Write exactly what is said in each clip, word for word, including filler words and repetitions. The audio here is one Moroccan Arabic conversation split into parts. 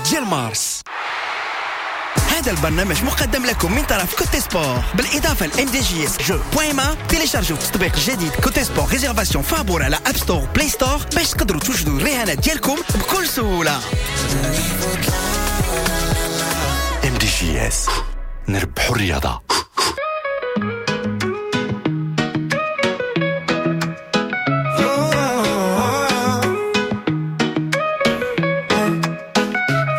ديال مارس. هذا البرنامج مقدم لكم من طرف Cote Sport بالاضافة ل MDJS jeux point ma. تيليشارجوا التطبيق الجديد Cote Sport réservation فابور على App Store، Play Store باش تقدروا توجدوا الرهانات ديالكم بكل سهوله. MDJS نربحوا الرياضه.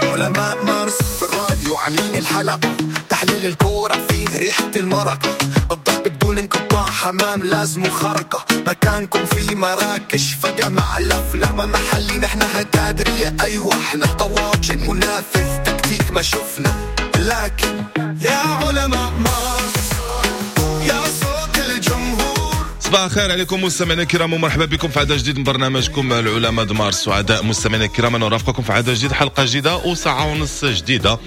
علماء مارس في الراديو عاملين الحلقة، تحليل الكورة فيه ريحة المرقة، الضرب بدون انقطاع، حمام لازم خرقة، مكانكم في مراكش فجأة مع الأفلام محلي، نحن هتادرية أيوة احنا طواجن منافذ تكتيك ما شفنا، لكن يا علماء مارس يا صوت الجمهور. صباح الخير عليكم مستمعينا الكرام ومرحبا بكم في عدد جديد من برنامجكم العلماء د مارس. سعداء مستمعينا الكرام ان نرافقكم في عدد جديد، حلقة جديدة وساعة ونص جديدة،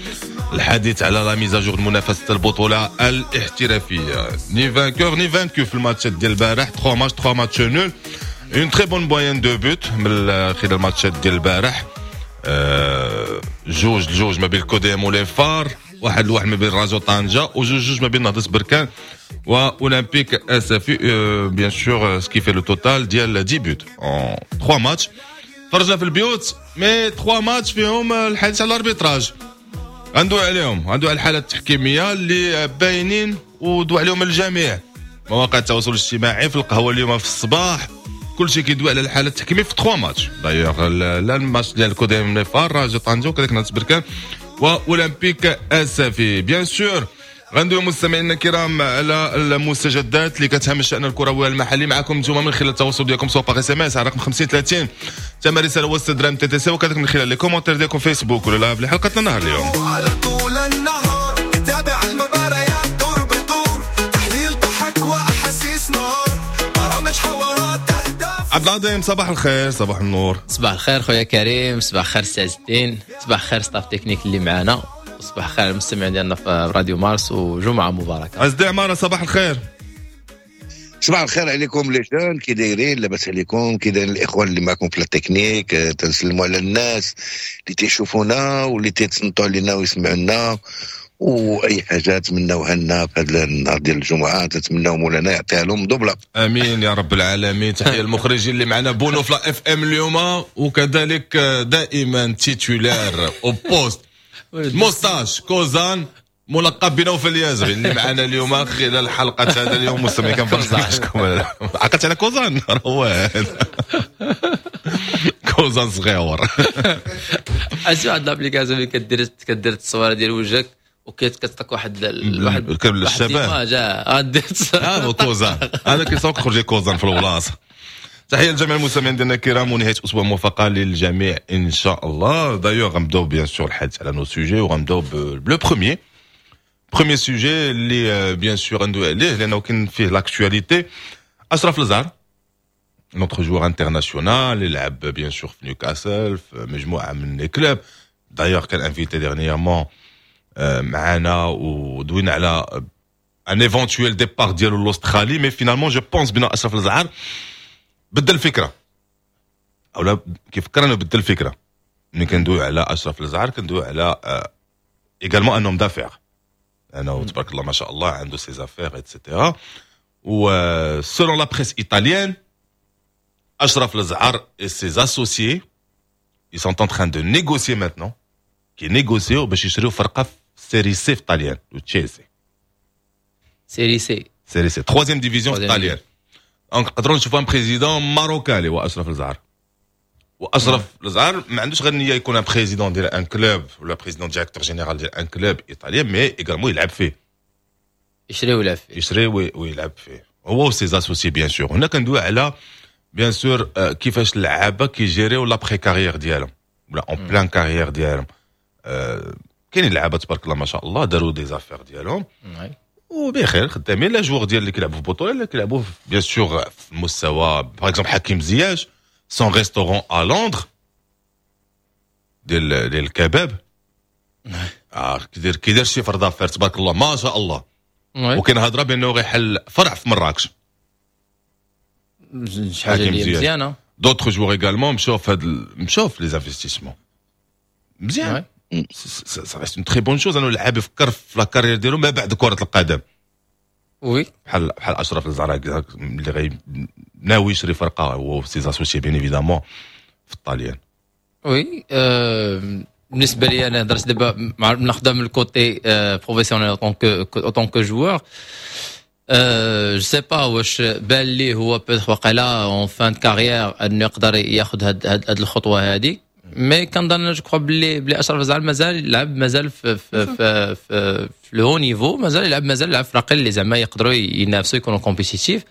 الحديث على la mise à jour منافسه البطولة الاحترافيه. ni vainqueur ni vaincu في الماتشات ديال البارح، ثلاثة ماتش ثلاثة matchs nuls، une très bonne moyenne de buts من خلال الماتشات ديال البارح. أه جوج لجوج ما بين الكوديم و les FAR، واحد لواحد ما بين راجو طنجة، وجوج جوج ما بين نهضة بركان واولمبيك اسفي. bien sûr ce qui fait le total ديال dix buts en ثلاثة ماتش. فرجنا في البيوت mais ثلاثة ماتش فيهم الحديث على ال arbitrage، غندوي عليهم، غندوي على الحالات التحكيميه اللي باينين ودوي عليهم الجميع، مواقع التواصل الاجتماعي، في القهوة اليوم في الصباح كلشي كيدوي على الحالة التحكيميه في ثلاثة ماتش. دايوغ لا الماتش ديال الكوديم les FAR، راجو طنجة وكذلك نهضة بركان واولمبيك اسفي. bien sûr غندوي مستمعينا الكرام على المستجدات اللي كتهم الشان الكروي المحلي معكم نتوما من خلال التواصل ديالكم سواء par SMS على رقم خمسين ثلاثين ثمن رسالة وسط درهم TTC، وكذلك من خلال les commentaires ديالكم فيسبوك ولا live لحلقتنا النهار اليوم. على طول النهار تابع المباريات دور بدور، تحليل ضحك واحاسيس نار، برامج حوارات اهداف. عبد العظيم صباح الخير. صباح النور. صباح الخير خويا كريم، صباح الخير سي عز الدين، صباح الخير staff technique اللي معنا، صباح الخير المستمعين ديالنا في راديو مارس، وجمعه مباركة. عز الدين عمارة صباح الخير. صباح الخير عليكم les jeunes، كي دايرين؟ لاباس عليكم؟ كي دايرين الاخوان اللي معكم في التكنيك؟ تنسلموا على الناس اللي تيشوفونا واللي تيتصنتوا علينا ويسمعوا لنا، واي حاجة تمناوها لنا في هذا النهار ديال الجمعة تتمناو مولانا يعطيها لهم double. امين يا رب العالمين. تحية المخرجين اللي معنا بونو في la FM اليوم، وكذلك دائما titulaire au poste moustache كوزان ملقب بنوفل اليازغي اللي معنا اليوم خلال حلقة هذا اليوم. مستمعين كنفرحكم عقلت على كوزان، هو هذا كوزان صغيور. عرفتي واحد l'application اللي كدير كدير التصويره ديال وجهك وكتعطيك واحد واحد الشباب اه كوزان، انا كيسوق خرج كوزان في البلاصة. تحية لجميع المستمعين ديالنا الكرام ونهاية اسبوع موفقة للجميع ان شاء الله. دايوغ غنبداو bien sûr الحديث على nos sujets، وغنبداو ب le premier premier sujet اللي bien sûr غندوي عليه لانه كاين فيه l'actualité. اشرف لزعر notre joueur international اللي لعب bien sûr في نيوكاسل في مجموعة من les clubs، d'ailleurs كان invité dernièrement معنا ودوينا على un éventuel départ ديالو l'Australie، mais finalement je pense بان اشرف لزعر بدل الفكرة، او لا كيفكر انه بدل الفكرة. ملي كندوي على اشرف لزعر كندوي على également un homme d'affaires، انه تبارك الله ما شاء الله عنده ses affaires et cetera. و selon la presse italienne اشرف لزعر et ses associés ils sont en train de négocier maintenant، كي négocier باش يشريو فرقه في Serie C في طاليان، تشيلسي. Serie C، Serie C troisième division في طاليان. donc نقدروا نشوفوا un président marocain اللي هو اشرف لزعر. واشرف لزعر ما عندوش غير النية يكون un président ديال un club ولا président directeur général ديال un club italien، mais également يلعب فيه، يشري ويلعب فيه، يشري ويلعب فيه هو و ses associés bien sûr. هنا كندوي على bien sûr كيفاش اللعابه كيجيريو l'après-carrière ديالهم ولا en pleine carrière ديالهم. كاينين لعابه تبارك الله ما شاء الله داروا des affaires ديالهم وبخير خدامين، les joueurs ديال اللي كيلعبوا في البطولة اللي كيلعبوا bien sûr في المستوى. par exemple حكيم زياش son restaurant à Londres ديال ديال الكباب، اه كيدير كيدير chiffre d'affaires تبارك الله ما شاء الله، وكاين هضره بانه غيحل فرع في مراكش. شي حاجة اللي مزيانه. d'autres joueurs également مشاو في هاد مشاو في les investissements مزيان. ça reste une très bonne chose انه اللاعب يفكر في la carrière ديالو ما بعد كره القدم. oui، بحال بحال اشرف لزعر اللي غي ناوي يشري فرقه هو ses associés bien évidemment في الطاليان. oui، أه بالنسبة لي انا هضرت دابا ناخذها من ال côté professionnel en tant que joueur، je sais pas واش بان لي هو peut-être وقيلا en fin de carrière انه يقدر ياخذ هاد هاد الخطوة هذه، mais كنظن je crois بلي بلي اشرف لزعر مازال يلعب، مازال في في في في, في le haut niveau، مازال يلعب، مازال يلعب فراقي اللي زعما يقدروا ينافسوا، يكونوا compétitifs،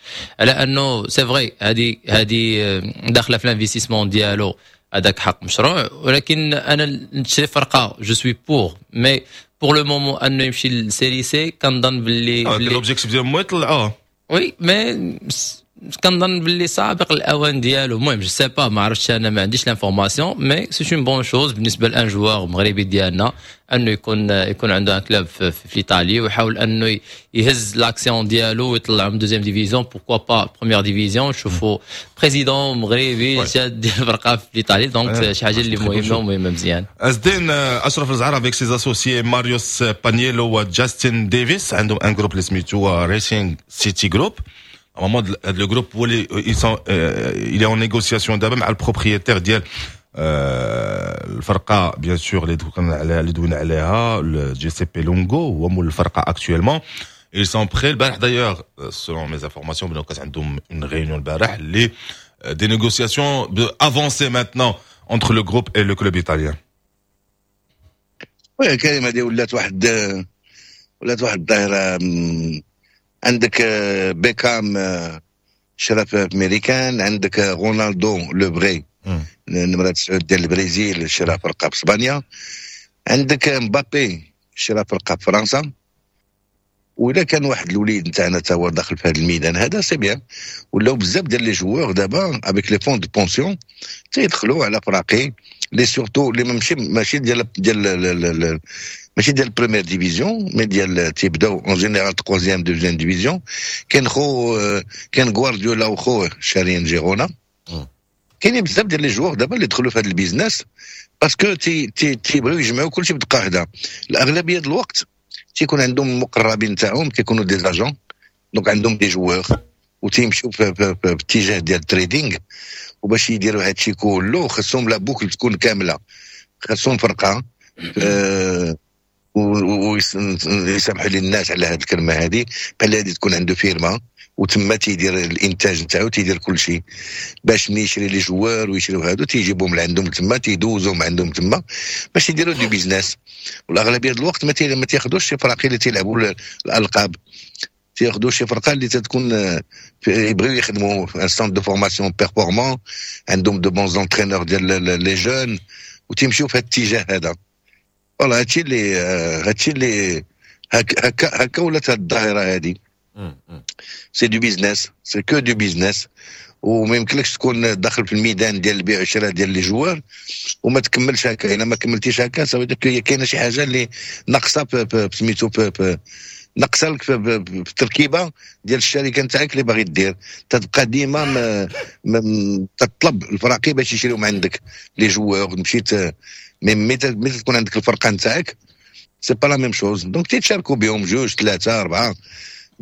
على انه c'est vrai هذه هذه داخله في l'investissement ديالو، هذاك حق مشروع، ولكن انا نشري فرقه je suis pour، mais pour le moment انه يمشي لل Série C كنظن باللي l'objectif ديالهم يطلعوه. oui، mais كنظن باللي سابق الاوان ديالو. المهم je sais pas، ما عرفتش، انا ما عنديش l'information، mais c'est une bonne chose بالنسبة ل un joueur مغربي ديالنا انه يكون يكون عنده un club في, في ايطاليا ويحاول انه يهز l'action ديالو ويطلع من deuxième division، pourquoi pas première division، نشوفوا président مغربي شاد ديال الفرقة في ايطاليا، donc شي حاجة اللي مهمة ومهمة مزيان. ازدين، اشرف لزعر avec ses associés ماريوس بانييلو وجاستن ديفيس عندهم un groupe اللي سميتو Racing City Group. Normalement هذا le groupe هو اللي il est en négociation دابا مع ال propriétaire ديال الفرقة bien sûr اللي اللي دوينا عليها، جيسيبي لونغو، هو مول الفرقة actuellement. ils sont prêts. البارح d'ailleurs، selon mes informations، بانه كانت عندهم une réunion البارح اللي des négociations avancées maintenant entre le groupe et le club italien. oui كريم، هذه ولات واحد ولات واحد الظاهره. عندك بيكام شرا في امريكان، عندك رونالدو le vrai نمرة تسعود ديال البرازيل شرا فرقه في اسبانيا، عندك مبابي شرا فرقه في فرنسا، وإلا كان واحد الوليد نتاعنا تا هو داخل في هذا الميدان هذا c'est bien. ولاو بزاف ديال les joueurs دابا avec les fonds de pension تيدخلوا على فراقي les surtout les ماشي ماشي ديال ديال ماشي ديال première division، mais ديال تيبداو en général troisième، deuxième division. كاين خو كاين غوارديولا وخوه شارين جيرونا. كاينين بزاف ديال les joueurs دابا اللي دخلوا في هذا ال business parce que تي تي تيبغيو يجمعوا كلشي بدقة واحده. الاغلبية ديال الوقت تيكون عندهم المقربين تاعهم تيكونوا des agents، donc عندهم des joueurs وتيمشيو في, في, في, في اتجاه ديال ال trading. وباش يديروا هادشي كله خصهم la boucle تكون كامله، خصهم فرقه أه ويسامحوا لي الناس على هذه الكلمة هذه، بحال هذه تكون عنده فيرما وتما تيدير الانتاج نتاعو، تيدير كل شيء باش ملي يشري les joueurs ويشريو هادو تيجيبهم لعندهم تما، تيدوزوهم عندهم تما باش يديروا du business. والاغلبيه ديال الوقت ما ما تياخذوش شي فراقي اللي تيلعبوا الالقاب، تياخذوا شي فرقه اللي تتكون يبغيو يخدموا un centre de formation performant، عندهم de bons entraîneurs ديال les jeunes، وتيمشيو في هذا الاتجاه هذا. voilà، هادشي اللي هادشي اللي هكا هكا هكا ولات هاد الظاهرة هادي. c'est du business، c'est que du business، وما يمكنلكش تكون داخل في الميدان ديال البيع والشراء ديال les joueurs وما تكملش هكا. الا ما كملتيش هكا ça veut dire كاينه شي حاجة اللي ناقصه سميتو ناقصه لك في التركيبة ديال الشركة نتاعك اللي باغي دير. تتبقى ديما تطلب الفراقي باش يشريو من عندك les joueurs. مشيت mais ملي تكون عندك الفرقة نتاعك c'est pas la même chose. donc تيتشاركوا بهم جوج، ثلاثه، اربعة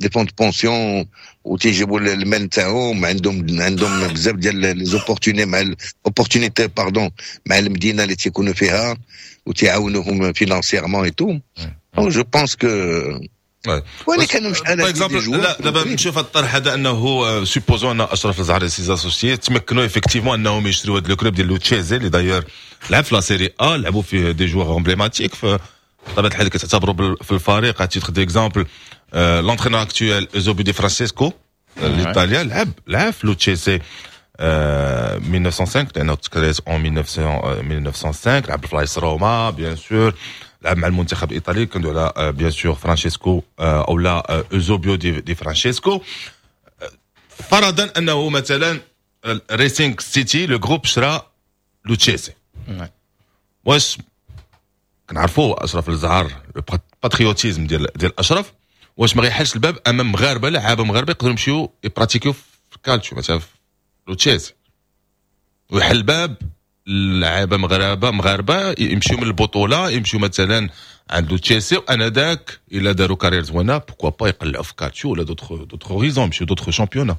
des fonds de pension وتيجيبوا المال نتاعهم. عندهم عندهم بزاف ديال les opportunités مع opportunités pardon مع المدينة اللي تيكونوا فيها وتيعاونوهم financièrement et tout. je pense que ولكن شحال exemple لا دابا نشوف الطرح هذا انه supposons ان اشرف لزعر et ses associés تمكنوا effectivement انهم يشريوا هذا le club ديال لوتشيزي اللي d'ailleurs لعب في la Série A، لعبوا فيه des joueurs emblématiques بطبيعة الحال، كتعتبروا في الفريق à titre d'exemple l'entraîneur actuel اوزوبيو دي فرانسيسكو الايطاليا لعب لعب في لوتشيزي ألف وتسعمية وخمسة لانه تكريت en ألف وتسعمية وخمسة، لعب في لايس روما bien sûr، لعب مع المنتخب الايطالي. كندوي على bien sûr فرانشيسكو او لا اوزوبيو دي, دي فرانشيسكو. فرضا انه مثلا Racing City le groupe شرا لوتشيسي، واش كنعرفوا اشرف لزعر، patriotisme ديال ديال اشرف، واش ما غيحلش الباب امام مغاربه، لعابه مغاربة يقدروا يمشيو يبراتيكيو في الكالتشو مثلا في لوتشيسي، ويحل الباب اللعابه مغاربة مغاربة يمشيو من البطوله، يمشيو مثلا عند تشيلسي، وانا ذاك الا داروا carrière زوينة pourquoi pas يقلعوا في كالتشيو ولا d'autres d'autres horizons، يمشيو d'autres championnats.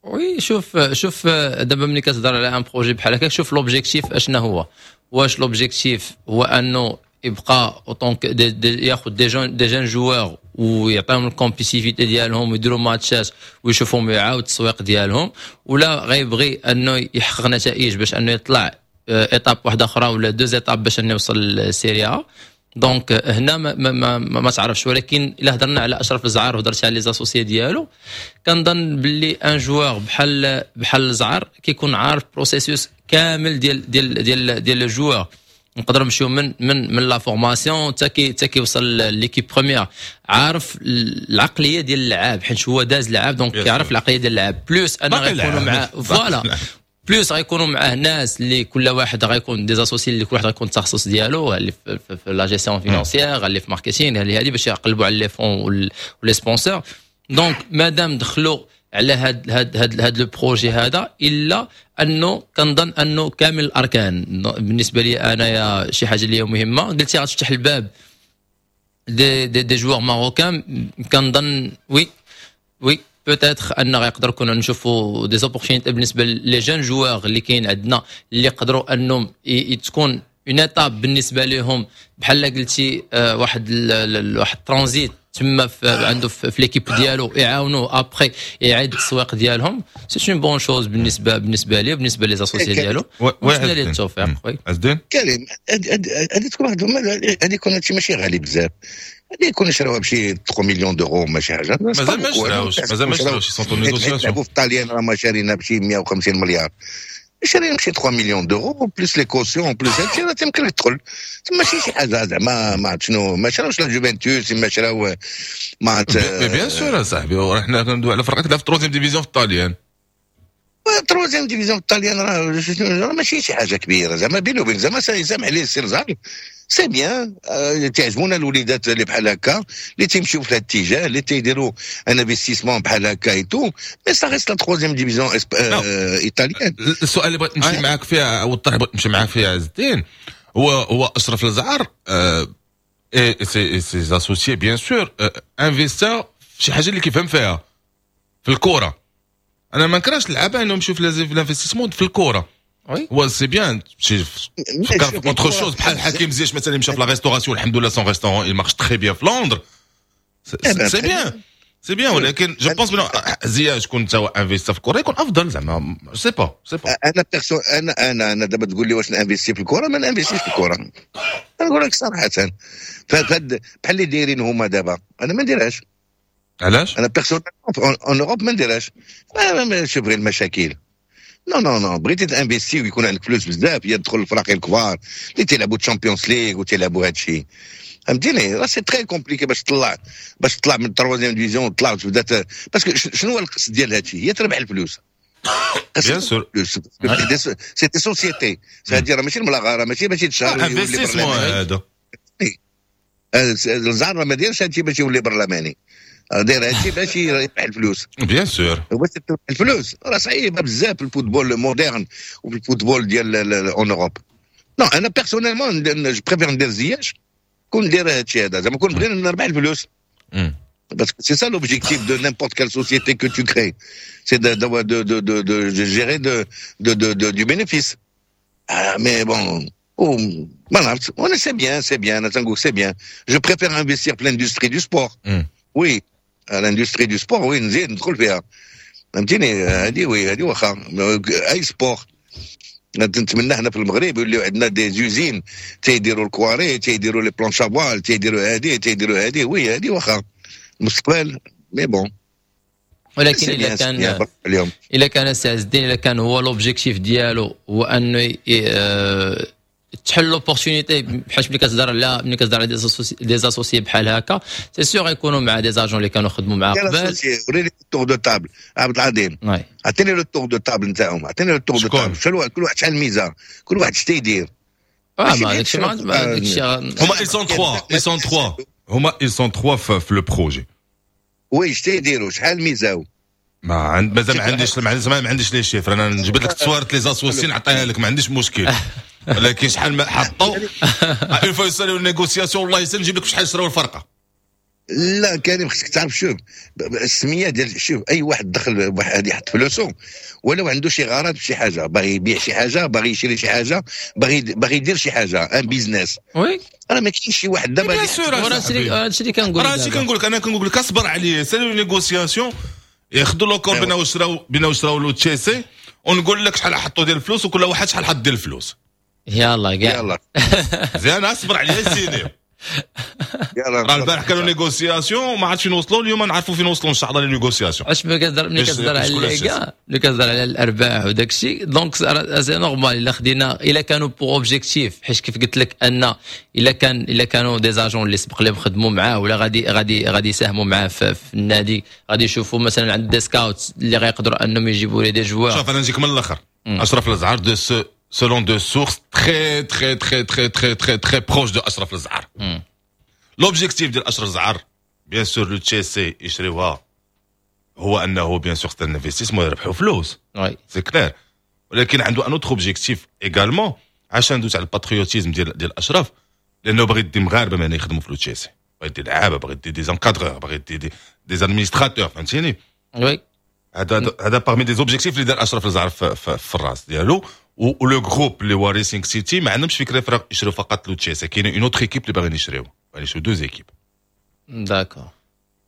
oui، شوف شوف، دابا ملي كتهضر على un projet بحال هكا، شوف l'objectif اشنا هو. واش l'objectif هو انه يبقى autant ياخذ des jeunes des jeunes joueurs ويعطيهم ال compétitivité ديالهم ويديروا ماتشات ويشوفهم ويعاود التسويق ديالهم، ولا غيبغي انه يحقق نتائج باش انه يطلع étape واحدة اخرى ولا deux étapes باش انه يوصل لل Serie A؟ donc هنا ما, ما, ما, ما تعرفش. ولكن الا هضرنا على اشرف الزعر وهضرت على les associés ديالو، كنظن باللي un joueur بحال بحال الزعر كيكون عارف processus كامل ديال ديال ديال ديال le joueur، نقدروا نمشيو من من من la formation حتى كي حتى كيوصل l'équipe première، عارف العقلية ديال اللعاب حيت هو داز لعاب، donc كيعرف العقلية ديال اللعاب، plus انه غيكونوا معاه، voilà، plus غيكونوا معاه ناس اللي كل واحد غيكون des associés اللي كل واحد غيكون التخصص ديالو، اللي في, في, في la gestion financière، اللي في marketing، اللي هذه باش يقلبوا على les fonds و les sponsors. donc مادام دخلوا على هاد هاد هاد هاد le projet هذا، الا انه كنظن انه كامل الاركان. بالنسبة لي انايا شي حاجة اللي هي مهمه، قلتي غتفتح الباب des des, des joueurs marocains، كنظن oui oui peut-être ان غيقدر كنا نشوفوا des opportunités بالنسبة les jeunes joueurs اللي كاين عندنا، اللي يقدروا انهم تكون une étape بالنسبة لهم، بحال قلتي آه، واحد واحد ترانزيت تما عنده في l'équipe ديالو، يعاونوه après يعيد التسويق ديالهم. c'est une bonne chose بالنسبه بالنسبه ليه، بالنسبة les associés ديالو. نتمنى ليه التوفيق. oui عزدين. كريم، هذه تكون واحد، هذه يكون هادشي ماشي غالي بزاف، هذه يكون شراوها بشي ثلاثة millions d'euros، ماشي حاجه. مازال ما شراوش، مازال ما شراوش، sont en négociation. في الطاليان راه ما شارينا بشي مية وخمسين مليار، شارينا بشي ثلاثة millions d'euros plus les cautions plus هادشي، راه تيمكن لك تدخل، ماشي شي حاجة زعما ما عرفت شنو. ما شراوش la Juventus، ما شراو ما عرفت. bien sûr صاحبي، حنا كندوي على فرقه في troisième division في الطاليان. troisième division في الطاليان راه ماشي شي حاجة كبيرة زعما. بيني وبين زعما سامح لي السي لزعر، c'est bien، تعجبونا الوليدات اللي بحال هكا، اللي تيمشيو في هذا الاتجاه، اللي تيديروا un investissement بحال هكا et tout، mais ça reste la troisième division italienne. السؤال اللي بغيت نمشي معاك فيها او الطرح بغيت نمشي معاك فيها عز الدين، هو هو اشرف الزعر et ses ses associés bien sûr investa في شي حاجة اللي كيفهم فيها، في الكره. انا ما نكرهش اللعابه انهم يمشيو في l'investissement في الكره. oui هو c'est bien تمشي تفكر في autre chose، بحال حكيم زياش مثلا مشى في la restauration، الحمد لله son restaurant il marche très bien في لندن، c'est bien c'est bien. ولكن je pense بلي زياش كون تا investa في الكره يكون افضل زعما، sais pas sais pas. انا perso انا انا انا دابا تقول لي واش ن investir في الكره، ما ن investir ش في الكره، انا نقول لك صراحه. فهاد بحال اللي دايرين هما دابا، انا ما نديرهاش. علاش؟ انا perso en Europe ما نديرهاش، شوف غير المشاكل. non non non، بغيتي ت investir ويكون عندك فلوس بزاف، هي تدخل الفراقي الكبار اللي تيلعبوا Champions League وتيلعبوا هذا الشيء، فهمتيني؟ راه c'est très compliqué باش تطلع باش تطلع من ال troisième division وتطلع وتبدا، parce que شنو هو القصد ديال هذا الشيء؟ هي تربح الفلوس. bien sûr. c'est des sociétés، c'est-à-dire ماشي الملاغه، ماشي ماشي تشهر. investissement هذا. الزعر ما دايرش هادشي باش يولي برلماني، داير هادشي باش يربح الفلوس. bien sûr. باش تربح الفلوس راه صعيبة بزاف في ال football moderne وفي ال football ديال en Europe. non، انا personnellement je préfère ندير زياش كون ندير هادشي هذا، زعما كون بغينا نربح الفلوس. Parce que c'est ça l'objectif de n'importe quelle société que tu crées. C'est de, de, de, de, de, de gérer de, de, de, de, du bénéfice. Ah, mais bon, oh, voilà, on c'est bien, c'est bien, c'est bien. Je préfère investir في l'industrie du sport. Mm. Oui, l'industrie du sport, oui, نزيد ندخل فيها. فهمتيني؟ هذه oui، هذه واخا اي sport. نتمنى حنا في المغرب يوليو عندنا des usines تيديروا الكواري، تيديروا les planches à voile، تيديروا هذه، تيديروا هذه. oui، هذه واخا المستقبل، mais bon. ولكن اذا كان اليوم اذا كان سي عز الدين، اذا كان هو l'objectif ديالو هو انه تحل l'opportunité، بحال ملي كتهضر على ملي كتهضر على des associés بحال هكا، c'est sûr يكونوا مع des agents اللي كانوا خدموا معاه قبل. وريني tour de table عبد العظيم، عطيني le tour de table نتاعهم، عطيني le tour de table، كل واحد شحال ميزه، كل واحد اش تيدير. اه ما داكشي ما داكشي. هما ils sont trois، ils sont trois، هما ils sont trois في le projet. oui، اش تيديروا؟ شحال ميزاو؟ ما عند مازال ما عنديش ما عنديش ما عنديش les chiffres. انا نجبد لك تصويرة les associés نعطيها لك، ما عنديش مشكل. ولكن شحال ما حطوا une fois يسالوا négociations، والله يسال نجيب لك شحال شراو الفرقة. لا كريم، خصك تعرف، شوف السمية ديال، شوف اي واحد دخل واحد يحط فلوسه ولو عنده شي غرض في شي حاجه، باغي يبيع شي حاجه، باغي يشري شي حاجه، باغي باغي يدير شي حاجه، un business. oui راه ما كاينش شي واحد دابا bien sûr. هادشي اللي كنقول. راه هادشي كنقول لك، انا كنقول لك اصبر عليه، سالوا négociations، ياخذوا l'accord بينا وشراو بينا وشراو لو تشيسي، ونقول لك شحال حطوا ديال الفلوس وكل واحد شحال حط ديال الفلوس. يلا كاع. يلا. مزيان، اصبر عليا سيني. راه البارح كانوا négociations، ما عرفتش فين وصلوا، اليوم نعرفوا فين وصلوا ان شاء الله les négociations. اش ملي كتهضر ملي كتهضر على الليغا، ملي كتهضر على الارباح وداك الشيء، donc c'est normal الا خدينا، الا كانوا pour objectif، حيت كيف قلت لك ان الا كان الا كانوا des agents اللي سبق لهم خدموا معاه ولا غادي غادي غادي يساهموا معاه في, في النادي، غادي يشوفوا مثلا عند des scouts اللي غيقدروا انهم يجيبوا les des joueurs. شوف، انا نجيك من الاخر، اشرف الازعر de selon deux sources très très très très très très très proches de اشرف الزعر، l'objectif ديال اشرف الزعر bien sûr لو تشيسي يشريوها هو انه bien sûr c'est un investissement، يربحوا فلوس، c'est clair، ولكن عنده un autre objectif également، عشان ندوز على ال patriotisme ديال ديال اشرف، لانه باغي يدي مغاربة معنا يخدموا في لوتشيسي، باغي يدي لعابه، باغي يدي des encadreurs، باغي يدي des, des administrateurs، فهمتيني؟ oui. هذا هذا parmi des objectifs اللي دار اشرف الزعر في, في, في الراس ديالو. و le groupe اللي هو ريسينغ سيتي ما عندهمش فكرة يشريو فقط لوتشيسي، كاين une autre équipe اللي باغيين يشريو، باغيين يشريو deux équipes. d'accord.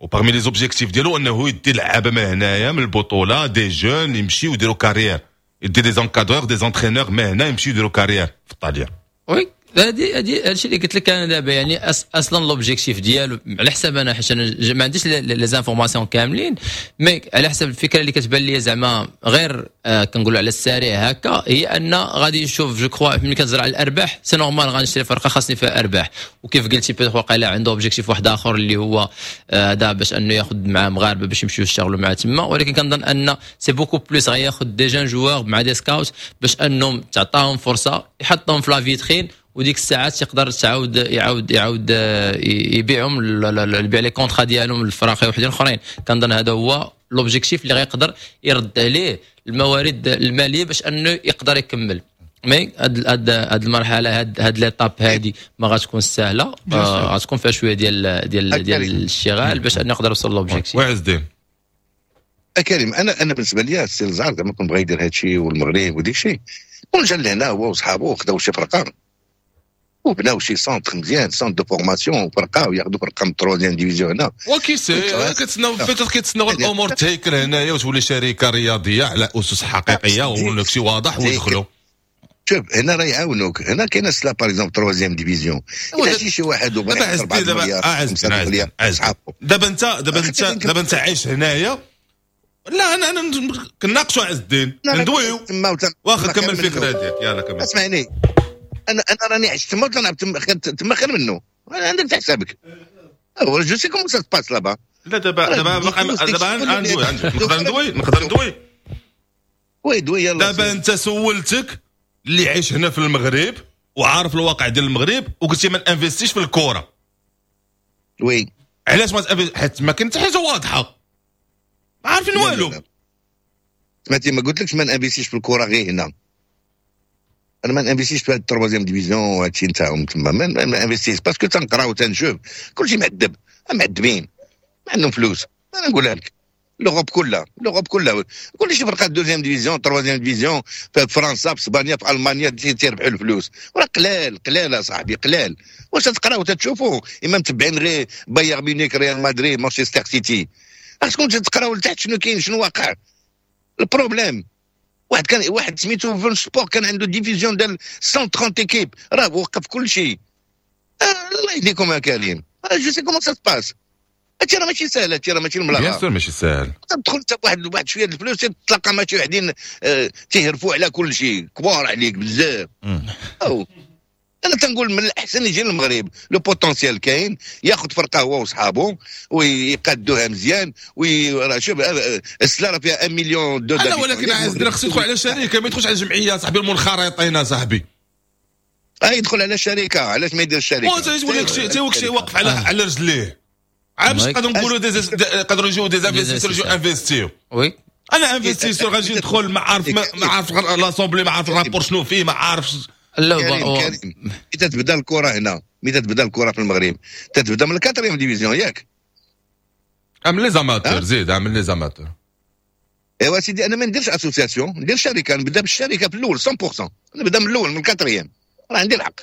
و parmi les objectifs ديالو انه يدي لعابه من هنايا من البطوله، des jeunes يمشيو يديروا carrière، يدي des encadreurs، des entraîneurs من هنا يمشيو يديروا carrière في الطاليان. oui، هادي هادي هادشي اللي قلت لك انا دابا، يعني أص اصلا l'objectif ديالو على حساب انا، حيت انا ما عنديش les informations كاملين، mais على حسب الفكرة اللي كتبان لي زعما غير آه كنقولوا على السريع هكا، هي ان غادي يشوف، je crois ملي كنهضر على الارباح، c'est normal غنشري فرقه خاصني فيها ارباح. وكيف قلتي peut-être واقيلا عنده objectif واحد اخر اللي هو آه، هذا باش انه ياخذ مع مغاربة باش يمشيو يشتغلوا معاه تما، ولكن كنظن ان c'est beaucoup plus غياخذ des jeunes joueurs مع des scouts باش انهم تعطاهم فرصه، يحطهم في la vitrine، وديك الساعات يقدر تعاود يعاود يعاود آه، يبيعهم، يبيع les contrats ديالهم للفراقي وحدين اخرين. كنظن هذا هو l'objectif اللي غيقدر يرد عليه الموارد المالية باش انه يقدر يكمل. mais هاد هاد هاد المرحله، هاد هاد l'étape هادي ما غتكون سهله، آه غتكون فيها شوية ديال ديال ديال الاشتغال باش انه يقدر يوصل l'objectif. وعز الدين. كريم، انا انا بالنسبة لي السي الزعر زعما كون بغى يدير هذا الشيء والمغرب وديك الشيء، كون جا لهنا هو وصحابه وخداو شي فرقه وبناو شي centre مزيان، centre de formation، فرقه، وياخذوا فرقه من troisième division هنا. و qui sait، كتسناو peut-être كيتسناو الامور تهيكل هنايا وتولي شركة رياضية على اسس حقيقية ولا شي واضح ويدخلوا. شوف، هنا راه يعاونوك، هنا كاين سلا par exemple troisième division، الا شي شي واحد وبغى دابا دابا انت دابا انت دابا انت عايش هنايا. لا، انا انا كناقشوا عز الدين، ندويو. واخا، كمل الفكرة ديالك، يلا كمل. اسمعني، انا انا راني عشت تما وتنلعب تما تما خير منه، عندك حسابك، je sais comment ça se passe là-bas. لا، دابا دابا دابا ندوي، نقدر ندوي؟ نقدر ندوي؟ oui، دوي، يلا. دابا انت سولتك اللي عايش هنا في المغرب وعارف الواقع ديال المغرب، وقلتي ما انفستيش في الكره. oui. علاش ما؟ حيت ما كاين حتى حاجة واضحه، ما عارفين والو. سمعتي، ما قلتلكش ما نانفيستيش في الكره غير هنا، انا ما نانفيستيش في هاد ال troisième division وهادشي نتاعهم تما، ما نانفيستيش parce que تنقرا وتنشوف كلشي معذب، معذبين، ما عندهم فلوس. انا نقولها لك، l'Europe كلها، l'Europe كلها، كل شي فرقه deuxième division، troisième division، في فرنسا، في اسبانيا، في المانيا، تيربحوا الفلوس. وراه قلال قلال صاحبي قلال. واش تقراو وتتشوفوا اما متبعين غير بايرن ميونيك، ريال مدريد، مانشستر سيتي؟ خاصكم تقراو لتحت شنو كاين، شنو واقع ال problème. واحد كان واحد سميتو فون سبور كان عنده division ديال مية وثلاثين équipes، راه وقف كل شيء. آه الله يهديكم يا كريم، je sais comment ça se passe. هادشي راه ماشي ساهل، هادشي راه ماشي الملاغه. bien sûr ماشي ساهل. تدخل انت بواحد واحد شوية الفلوس، تلقى مع شي وحدين آه تيهرفوا على كل شيء، كبار عليك بزاف. أو انا تنقول من الاحسن يجي للمغرب، le potentiel كاين، ياخذ فرقه هو وصحابه ويقادوها مزيان. وي شوف، السلا راه فيها واحد مليون دو. لا، ولكن عز خصو يدخل على شركه، ما يدخلش على جمعية صاحبي، المنخرطين صاحبي. اه، يدخل على شركه، علاش ما يديرش شركه؟ تيقول لك شي واقف على على رجليه، عاد باش نقدروا نقولوا des يقدروا يجيو des investisseurs يجيو انفستيو. oui. انا investisseur غادي ندخل ما عارف ما عارف l'assemblée، ما عارف ال rapport شنو فيه، ما عارف. لا كريم كريم ملي تبدا الكره هنا، ملي تبدا الكره في المغرب تتبدا من ال quatrième division، ياك؟ عمل les amateurs، زيد عمل les amateurs. ايوا سيدي، انا ما نديرش association، ندير شركه، نبدا بالشركة في الاول مية بالمية، نبدا من الاول من ال quatrième، راه عندي الحق،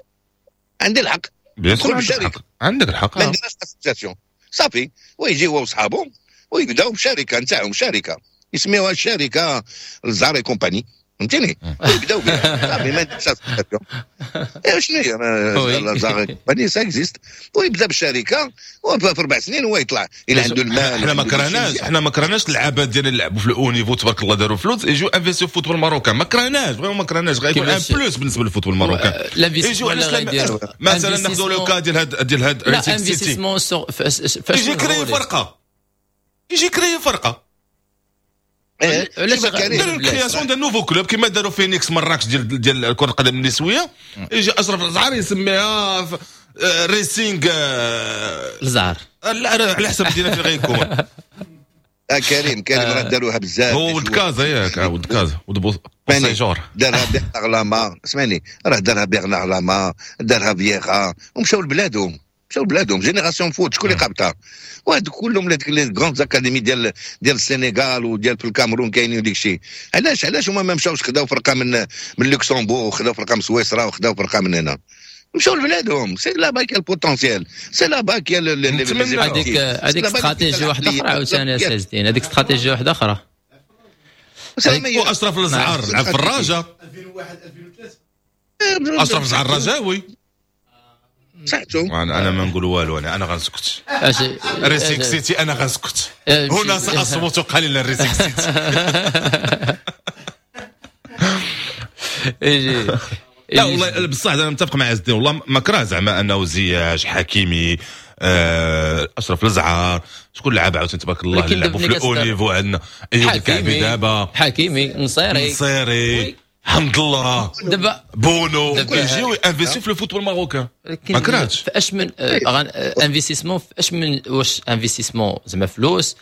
عندي الحق. bien sûr عندك الحق، عندك الحق. ما نديرش association صافي، ويجي هو وصحابه ويبداو بشركه نتاعهم، شركة يسميوها الشركة الزعر et compagnie، فهمتيني؟ ويبداو بها صافي، ما نديرش association. ايوا شنو هي الزعر et compagnie؟ ça existe. ويبدا بالشركة وفي اربع سنين هو يطلع الى عنده المال. حنا ما كرهناش، حنا ما كرهناش اللعابات ديال اللي لعبوا في ال haut niveau تبارك الله داروا فلوس، يجيو investir في football marocain، ما كرهناش، vraiment ما كرهناش، غيكون un plus بالنسبة لل football marocain. يجيو علاش مثلا ناخذوا le cas ديال هاد ديال هاد لا investissement يجي créer فرقه، يجي créer فرقه، علاش داروا création d'un nouveau club كيما داروا فينيكس مراكش ديال ديال كره القدم النسويه. يجي اشرف الزعر يسميها ريسينغ الزعر. لا، على حسب المدينة فين غيكون. آه كريم كريم، راه داروها بزاف. هو ولد كازا ياك؟ ولد كازا، ولد بوسيجور. دارها بيرنار لاما، اسمعني، راه دارها بيرنار لاما، دارها فييرا ومشاو لبلادهم، مشاو لبلادهم. Génération Foot شكون اللي قابطها؟ وهاد كلهم les grandes académies ديال ديال السنغال وديال في الكاميرون كاينين وديك الشيء. علاش علاش هما ما مشاوش خداو فرقه من من لوكسمبورغ وخداو فرقه من سويسرا وخداو فرقه من هنا؟ مشاو لبلادهم، c'est là-bas qu'il y a le potentiel، c'est là-bas qu'il y a هذيك هذيك استراتيجية واحدة اخرى عاوتاني يا سي، هذيك استراتيجية واحدة اخرى. واشرف الزعر لعب في الرجاء ألفين وواحد ألفين وثلاثة. اشرف الزعر رجاوي. صحتو. انا انا ما نقول والو، انا انا غنسكت. ريسيك سيتي، انا غنسكت هنا، ساصمت قليلا. ريسيك سيتي. لا والله بصح انا متفق مع عز الدين، والله ما كره زعما انه زياش، حكيمي، آه، اشرف الزعار، شكون لعب عاوتاني تبارك الله اللي لعبوا في ال haut niveau عندنا؟ ايوب الكعبي دابا. حكيمي، نصيري. نصيري، حمد الله. دابا بونو، يجيو investir في ال football marocain، ما كرهتش. في اش من investissement؟ في اش من واش investissement زعما فلوس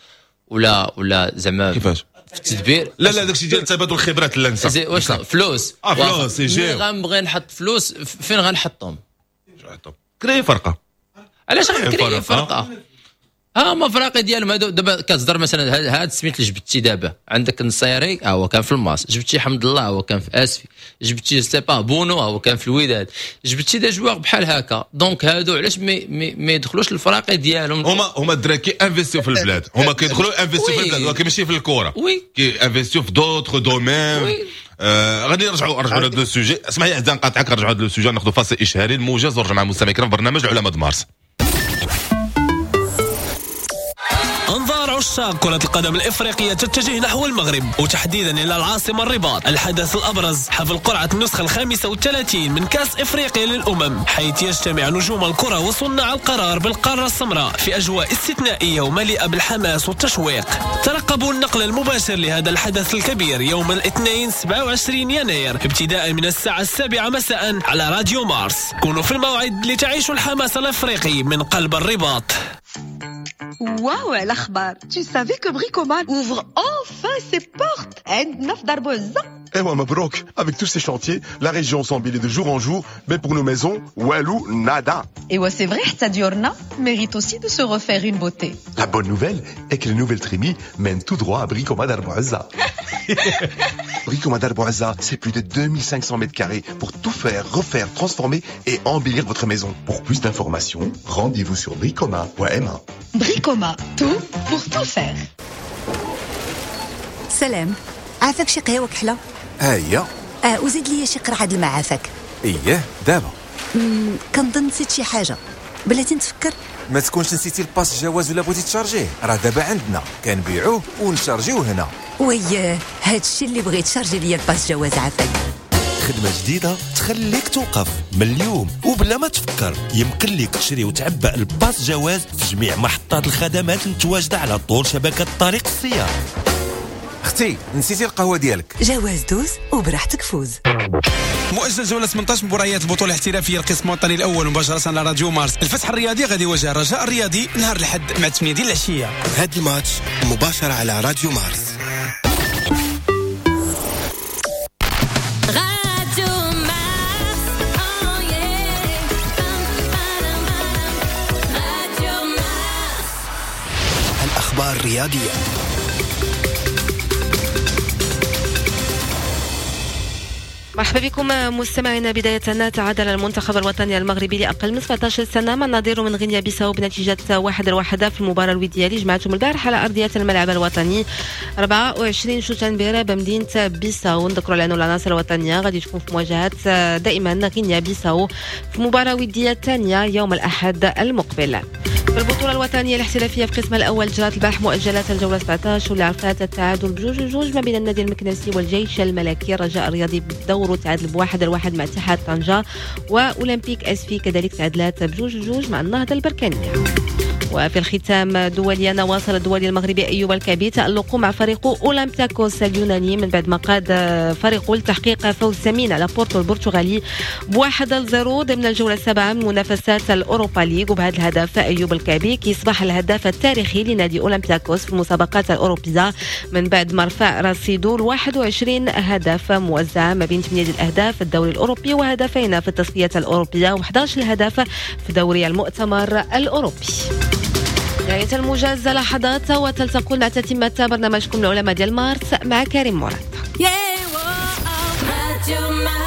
ولا ولا زعما كيفاش؟ في التدبير. لا لا، داكشي ديال تبادل الخبرات، لا نسى. واش فلوس؟ اه فلوس يجيو. غنبغي نحط فلوس، فين غنحطهم؟ créer فرقه. علاش غن créer فرقه؟ ها هما فراقي ديالهم هادو. دابا كتصدر مثلا هاد سميت اللي جبتي دابا، عندك النصيري ها هو كان في الماس، جبتي حمد الله هو كان في اسفي، جبتي sais pas بونو هو كان في الوداد، جبتي des joueurs بحال هكا، donc هادو علاش ما ما يدخلوش الفراقي ديالهم؟ هما هما الدراري كي investiو في البلاد، هما كيدخلوا investiو في البلاد ولكن ماشي في الكره، oui كي investiو في d'autres domaines. آه غادي نرجعوا نرجعوا لهذا ال sujet. اسمح لي عزيز نقاطعك، نرجعوا لهذا ال sujet، ناخذ فاصل اشهاري الموجز ونرجع مع المستمعين الكرام في برنامج العلماء مارس. أنظار عشاق كرة القدم الإفريقية تتجه نحو المغرب وتحديدا إلى العاصمة الرباط. الحدث الأبرز حفل قرعة النسخة الخامسة والثلاثين من كأس إفريقيا للأمم، حيث يجتمع نجوم الكرة وصناع القرار بالقارة السمراء في أجواء استثنائية ومليئة بالحماس والتشويق. ترقبوا النقل المباشر لهذا الحدث الكبير يوم الاثنين سبعة وعشرين يناير ابتداء من الساعة السابعة مساء على راديو مارس. كونوا في الموعد لتعيشوا الحماس الأفريقي من قلب الرباط. واو على اخبار! Tu savais que Bricoma ouvre enfin ses portes عندنا في دار بوعزة؟ Eh ouais, مبروك, avec tous ces chantiers, la région s'embellit de jour en jour, mais pour nos maisons, والو, nada. Et ouais, c'est vrai, حتى ديورنا mérite aussi de se refaire une beauté. La bonne nouvelle est que les nouvelles trémies mènent tout droit à Bricoma Dar Bouazza. Bricoma Dar Bouazza, c'est plus de deux mille cinq cents mètres carrés pour tout faire, refaire, transformer et embellir votre maison. Pour plus d'informations, rendez-vous sur bricoma point M A. Bricoma, tout pour tout faire. سلام، عافاك شي قهوة كحله. هيا. اه وزيد لي شي قرعه د الماء عافاك. اييه دابا. مم، كنظن نسيت شي حاجه، بلاتي نتفكر. ما تكونش نسيتي ال passe جواز ولا بغيتي تشارجيه؟ راه دابا عندنا كنبيعوه ونشارجيوه هنا. وياه، هادشي اللي بغيت، شارجي ليا ال passe جواز عافاك. خدمة جديدة تخليك توقف. من اليوم وبلا ما تفكر يمكن لك تشري وتعبأ ال passe جواز في جميع محطات الخدمات المتواجدة على طول شبكة طريق السيار. اختي، نسيتي القهوة ديالك. جواز، دوز وبراحتك فوز. مؤجل جولة ثمنطاش مباريات البطولة الاحترافية القسم الوطني الأول مباشرة على راديو مارس. الفتح الرياضي غادي يواجه الرجاء الرياضي نهار الأحد مع ثمانية ديال العشية. هاد الماتش مباشرة على راديو مارس. راديو مارس. الأخبار الرياضية. مرحبا بكم مستمعينا. بداية تعادل المنتخب الوطني المغربي لأقل من سبعة عشر سنة مع نظيره من غينيا بيساو بنتيجة واحد لواحد في المباراة الودية اللي جمعتهم البارح على أرضية الملعب الوطني أربعة وعشرين شتنبر بمدينة بيساو. نذكروا على أن العناصر الوطنية غادي تكون في مواجهة دائما غينيا بيساو في مباراة ودية ثانية يوم الأحد المقبل. في البطولة الوطنية الاحترافية في القسم الأول، جرات البارح مؤجلات الجولة سبعة عشر واللي عرفت التعادل بجوج جوج ما بين النادي المكناسي والجيش الملكي. الرجاء الرياضي بدوره تعادل بواحد لواحد مع اتحاد طنجة، وأولمبيك أسفي كذلك تعادلات بجوج جوج مع النهضة البركانية. وفي الختام دوليا، واصل الدولي المغربي ايوب الكعبي تألقه مع فريقه اولمبياكوس اليوناني من بعد ما قاد فريقه لتحقيق فوز ثمين على بورتو البرتغالي بواحد لزيرو ضمن الجولة السابعة من منافسات الاوروبا ليغ. وبهذا الهدف ايوب الكعبي كيصبح الهداف التاريخي لنادي اولمبياكوس في المسابقات الاوروبية من بعد ما رفع رصيده ل واحد وعشرين هدف موزعة ما بين ثمانية الاهداف في الدوري الاوروبي وهدفين في التصفيات الاوروبية وأحد عشر هدف في دوري المؤتمر الاوروبي. نهاية الموجز، لحظات وتلتقون مع تتمة برنامجكم العلماء ديال مارس مع كريم مراد. Yeah, Radio Mars.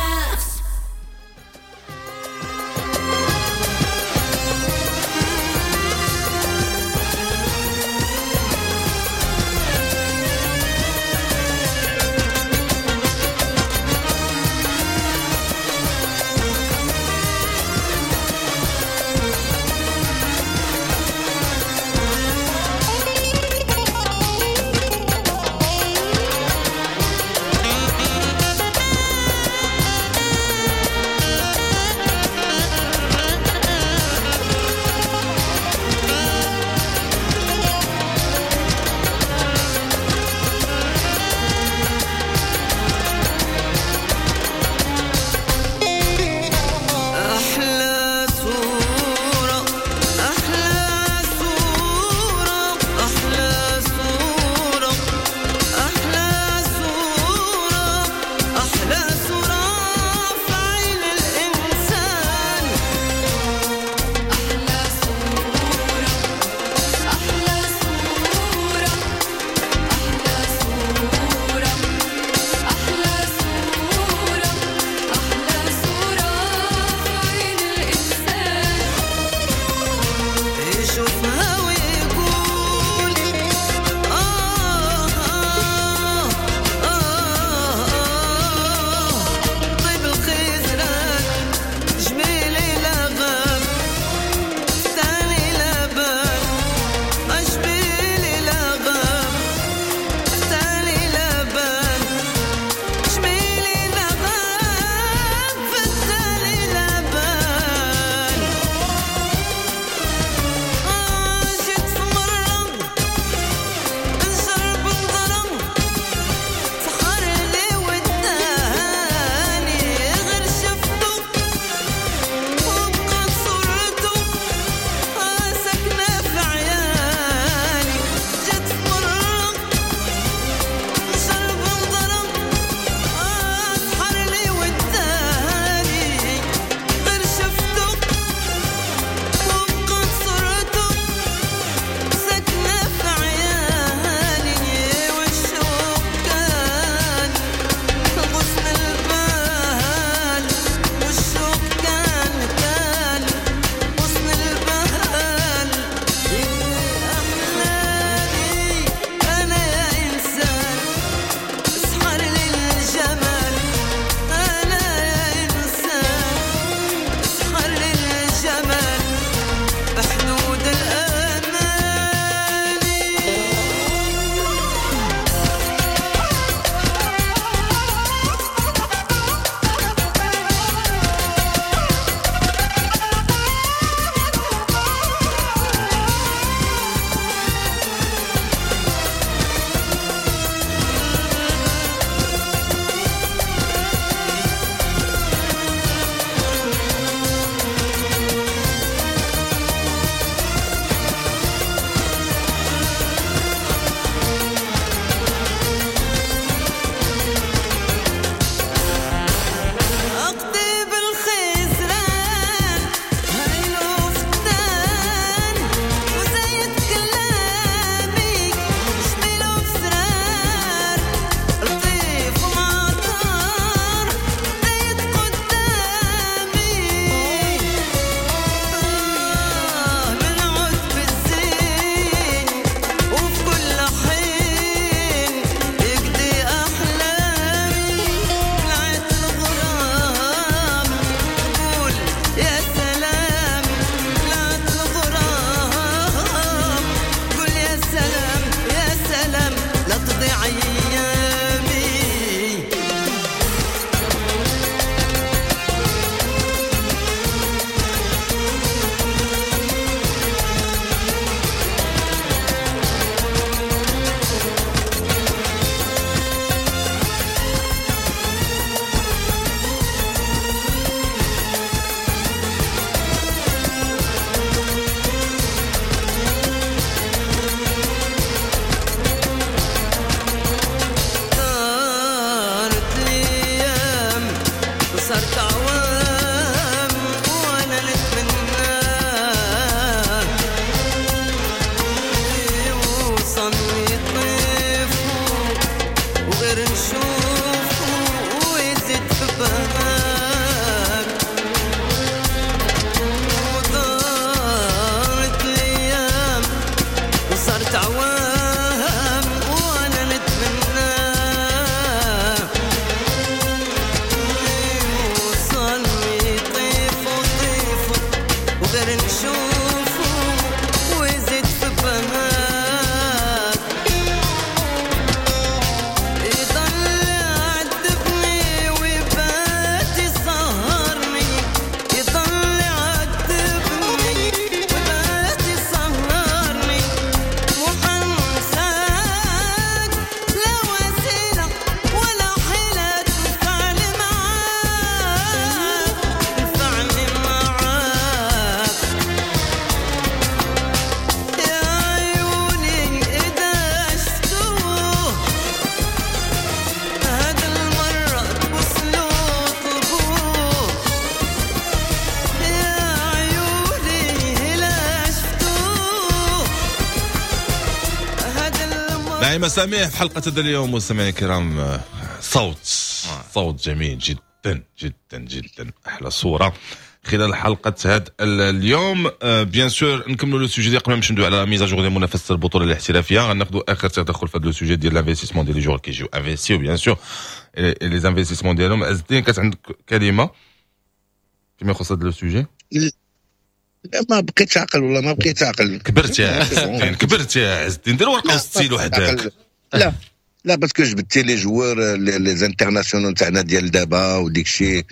نشوفه ويزيد في بالك. ودارت الايام وصارت عوام وانا نتمنى يوصلني طيف وطيف وغير نشوفه ويزيد في بالك. يضل يعذبني ويبات يسهرني، يضل يعذبني ويبات يسهرني، وحنساك لا وسيلة ولا حيلة تنفعني معاك، تنفعني معاك. يا عيوني إذا شفتوه هاد المرة تبوسلو طلبوه، يا عيوني إلا شفتوه هاد المرة. نعيمة سميح في حلقة هذا اليوم مستمعينا الكرام، آه، صوت صوت جميل جدا جدا جدا، احلى صورة خلال حلقة هذا اليوم. bien sûr نكملوا le sujet ديال قبل ما نمشيو ندوي على mise à jour ديال منافسة البطولة الاحترافية. غناخذوا اخر تدخل في هذا le sujet ديال l'investissement ديال les joueurs كيجيو investiو bien sûr les investissements ديالهم. عز الدين، كانت عندك كلمة فيما يخص هذا le sujet؟ لا، ما بقيتش عقل، والله ما بقيت عقل. كبرت يا عز الدين، كبرت يا عز الدين، دير ورقة وستيلو حداك. لا لا، parce que جبدتي les joueurs les internationaux تاعنا ديال دابا وديك الشيء،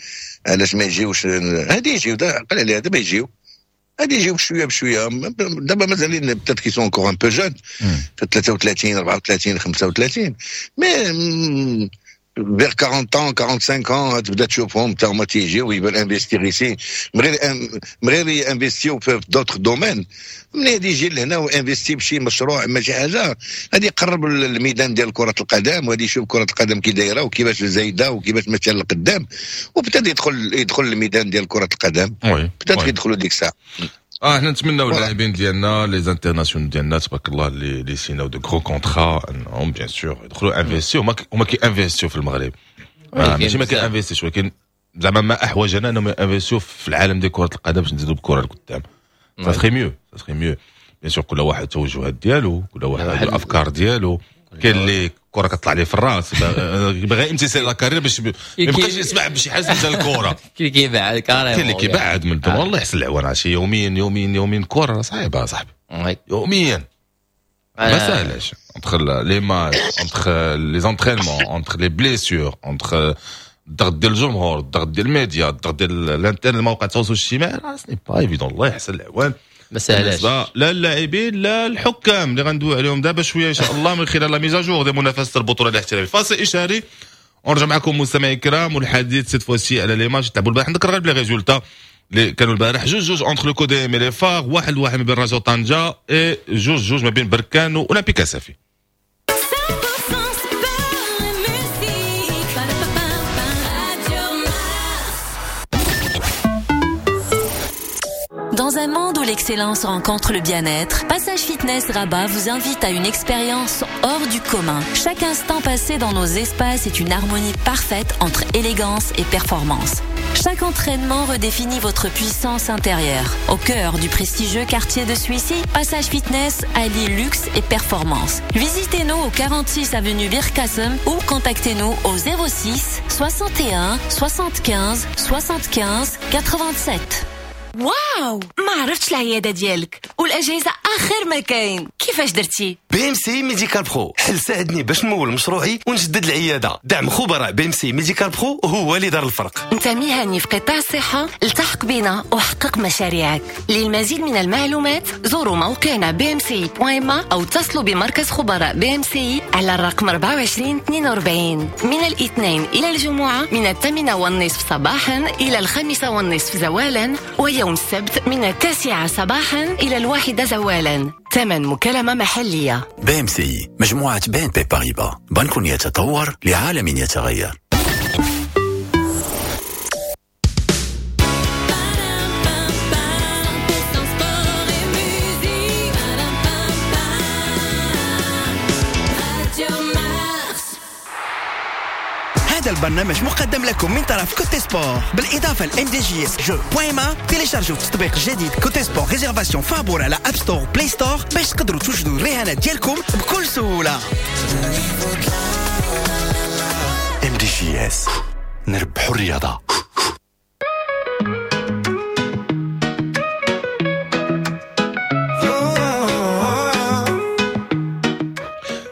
علاش ما يجيوش؟ هادي يجيو، عقل عليها، دابا يجيو، غادي يجيو بشوية بشويه. دابا مازالين peut-être qu'ils sont encore un peu jeunes، ثلاثة وثلاثين، أربعة وثلاثين، خمسة وثلاثين، mais vers quarante ans، quarante-cinq ans تبدا تشوفهم تا هما تيجيو يبان investir ici، من غير من غير investir في d'autres domaines. ملي غادي يجي لهنا و investir بشي مشروع ما شي حاجه، غادي يقرب الميدان ديال كره القدم وغادي يشوف كره القدم كي دايرة وكيفاش زايدة وكيفاش ماشية للقدام، وبدا يدخل يدخل الميدان ديال كره القدم، بدا يدخلوا ديك الساعه. اه احنا نتمناو اللاعبين ديالنا les internationaux ديالنا تبارك الله اللي اللي سيناو de gros contrats انهم bien sûr يدخلوا investiو. هما هما كي investiو في المغرب، آه ماشي ما كي investiش، ولكن زعما ما احوجنا انهم investiو في العالم ديال كره القدم باش نزيدوا بكره لقدام. ça serait mieux، ça serait mieux. bien sûr كل واحد التوجهات ديالو، كل واحد الافكار ديالو. كاين اللي الكره كطلع ليه في الراس، باغي امتى la carrière باش ما يبقاش يسمع بشي حاجة ديال الكره. كاين اللي كيبعد. كاين اللي كيبعد من والله يحسن العوان. عشي يوميا يوميا يوميا كره صعيبة صاحبي، يوميا ما سهلاش، entre les matchs، entre les entraînements، entre les blessures، entre الضغط ديال الجمهور، الضغط ديال الميديا، الضغط ديال الانترنت، المواقع التواصل الاجتماعي، راه ce n'est pas évident. الله يحسن العوان. ما سهلاش. لا اللاعبين لا الحكام اللي غندوي عليهم دابا شوية ان شاء الله من خلال la mise à jour ديال منافسه البطولة الاحترافية. فاصل اشهاري ونرجع معكم مستمعي الكرام، والحديث cette fois-ci على les matchs تلعبوا البارح. نذكر غير les résultats اللي كانوا البارح: جوج جوج entre le CODM les FAR، واحد واحد ما بين رجاء طنجه، et جوج جوج ما بين بركان واولمبيك اسفي. cent pour cent sport et musique. Radio Mars. Dans un monde où l'excellence rencontre le bien-être, Passage Fitness Rabat vous invite à une expérience hors du commun. Chaque instant passé dans nos espaces est une harmonie parfaite entre élégance et performance. Chaque entraînement redéfinit votre puissance intérieure. Au cœur du prestigieux quartier de Souissi, Passage Fitness allie luxe et performance. Visitez-nous au quarante-six avenue Bir Kassem ou contactez-nous au zéro six soixante et un soixante-quinze soixante-quinze quatre-vingt-sept. واو، ما عرفتش العيادة ديالك والاجهزة اخر ما كاين، كيفاش درتي؟ BMCI Médical Pro حل ساعدني باش نمول مشروعي ونجدد العياده. دعم خبراء BMCI Médical Pro هو اللي دار الفرق. انت مهني في قطاع الصحه، التحق بنا وحقق مشاريعك. للمزيد من المعلومات زوروا موقعنا B M C I point ma او اتصلوا بمركز خبراء B M C I على الرقم أربعة وعشرين اثنين وأربعين من الاثنين الى الجمعة من الثامنة والنصف صباحا الى الخامسة والنصف زوالا، ويوم السبت من التاسعة صباحا الى الواحدة زوالا. ثمن مكالمة محليه. BMCI، مجموعة BNP Paribas، بنك يتطور لعالم يتغير. cent pour cent sport et musique. Radio Mars. هذا البرنامج مقدم لكم من طرف Cote Sport، بالاضافة ل MDJS jeux point ma. تيليشارجوا تطبيق جديد Cote Sport réservation فابور على App Store، Play Store، باش تقدروا توجدوا الرهانات ديالكم بكل سهولة. MDJS، نربحوا الرياضة.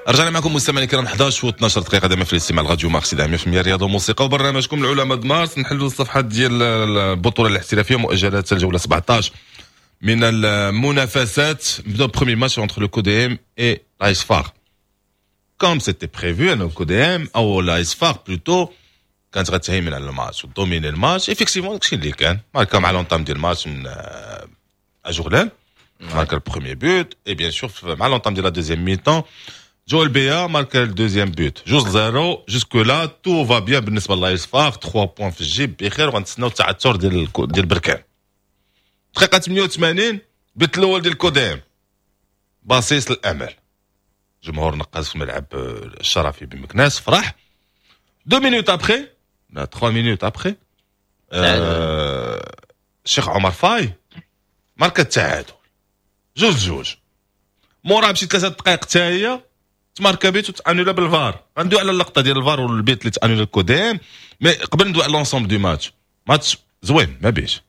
رجعنا معكم مستمعينا الكرام إحداش و اثناش دقيقة دائما في الاستماع لراديو مارس مية بالمية رياضة وموسيقى وبرنامجكم العلماء مارس. نحلوا الصفحات ديال البطولة الاحترافية، مؤجلات الجولة سبعطاش من المنافسات. نبداو premier match entre le CODM et l'AS FAR. Comme c'était prévu ان CODM او l'AS FAR plutôt كانت غتهيمن على الماتش و dominer الماتش. Effectivement داكشي اللي كان، ماركا مع l'entame ديال الماتش من اجورلان، ماركا ال premier but، et bien sûr مع l'entame ديال la deuxième mi-temps جويل بيا ماركا ال deuxième but، جوج zéro. Jusque-là tout va bien بالنسبة ل l'AS FAR، ثلاثة points في الجيب بخير، وغنتسناو التعثر ديال ديال بركان. دقيقة ثمانية وثمانين بيت الاول ديال CODM، بصيص الامل. جمهور نقاز في ملعب الشرفي بمكناس فرح. deux minutes après، لا ثلاثة minutes après، الشيخ عمر فاي ماركا التعادل جوج جوج. مورا بشي ثلاثة دقائق حتى هي تماركا بيت وتانولا بالفار. غندوي على اللقطة ديال الفار والبيت اللي تانولا ال CODM، mais قبل ندوي على l'ensemble du match. ماتش زوين ما بيش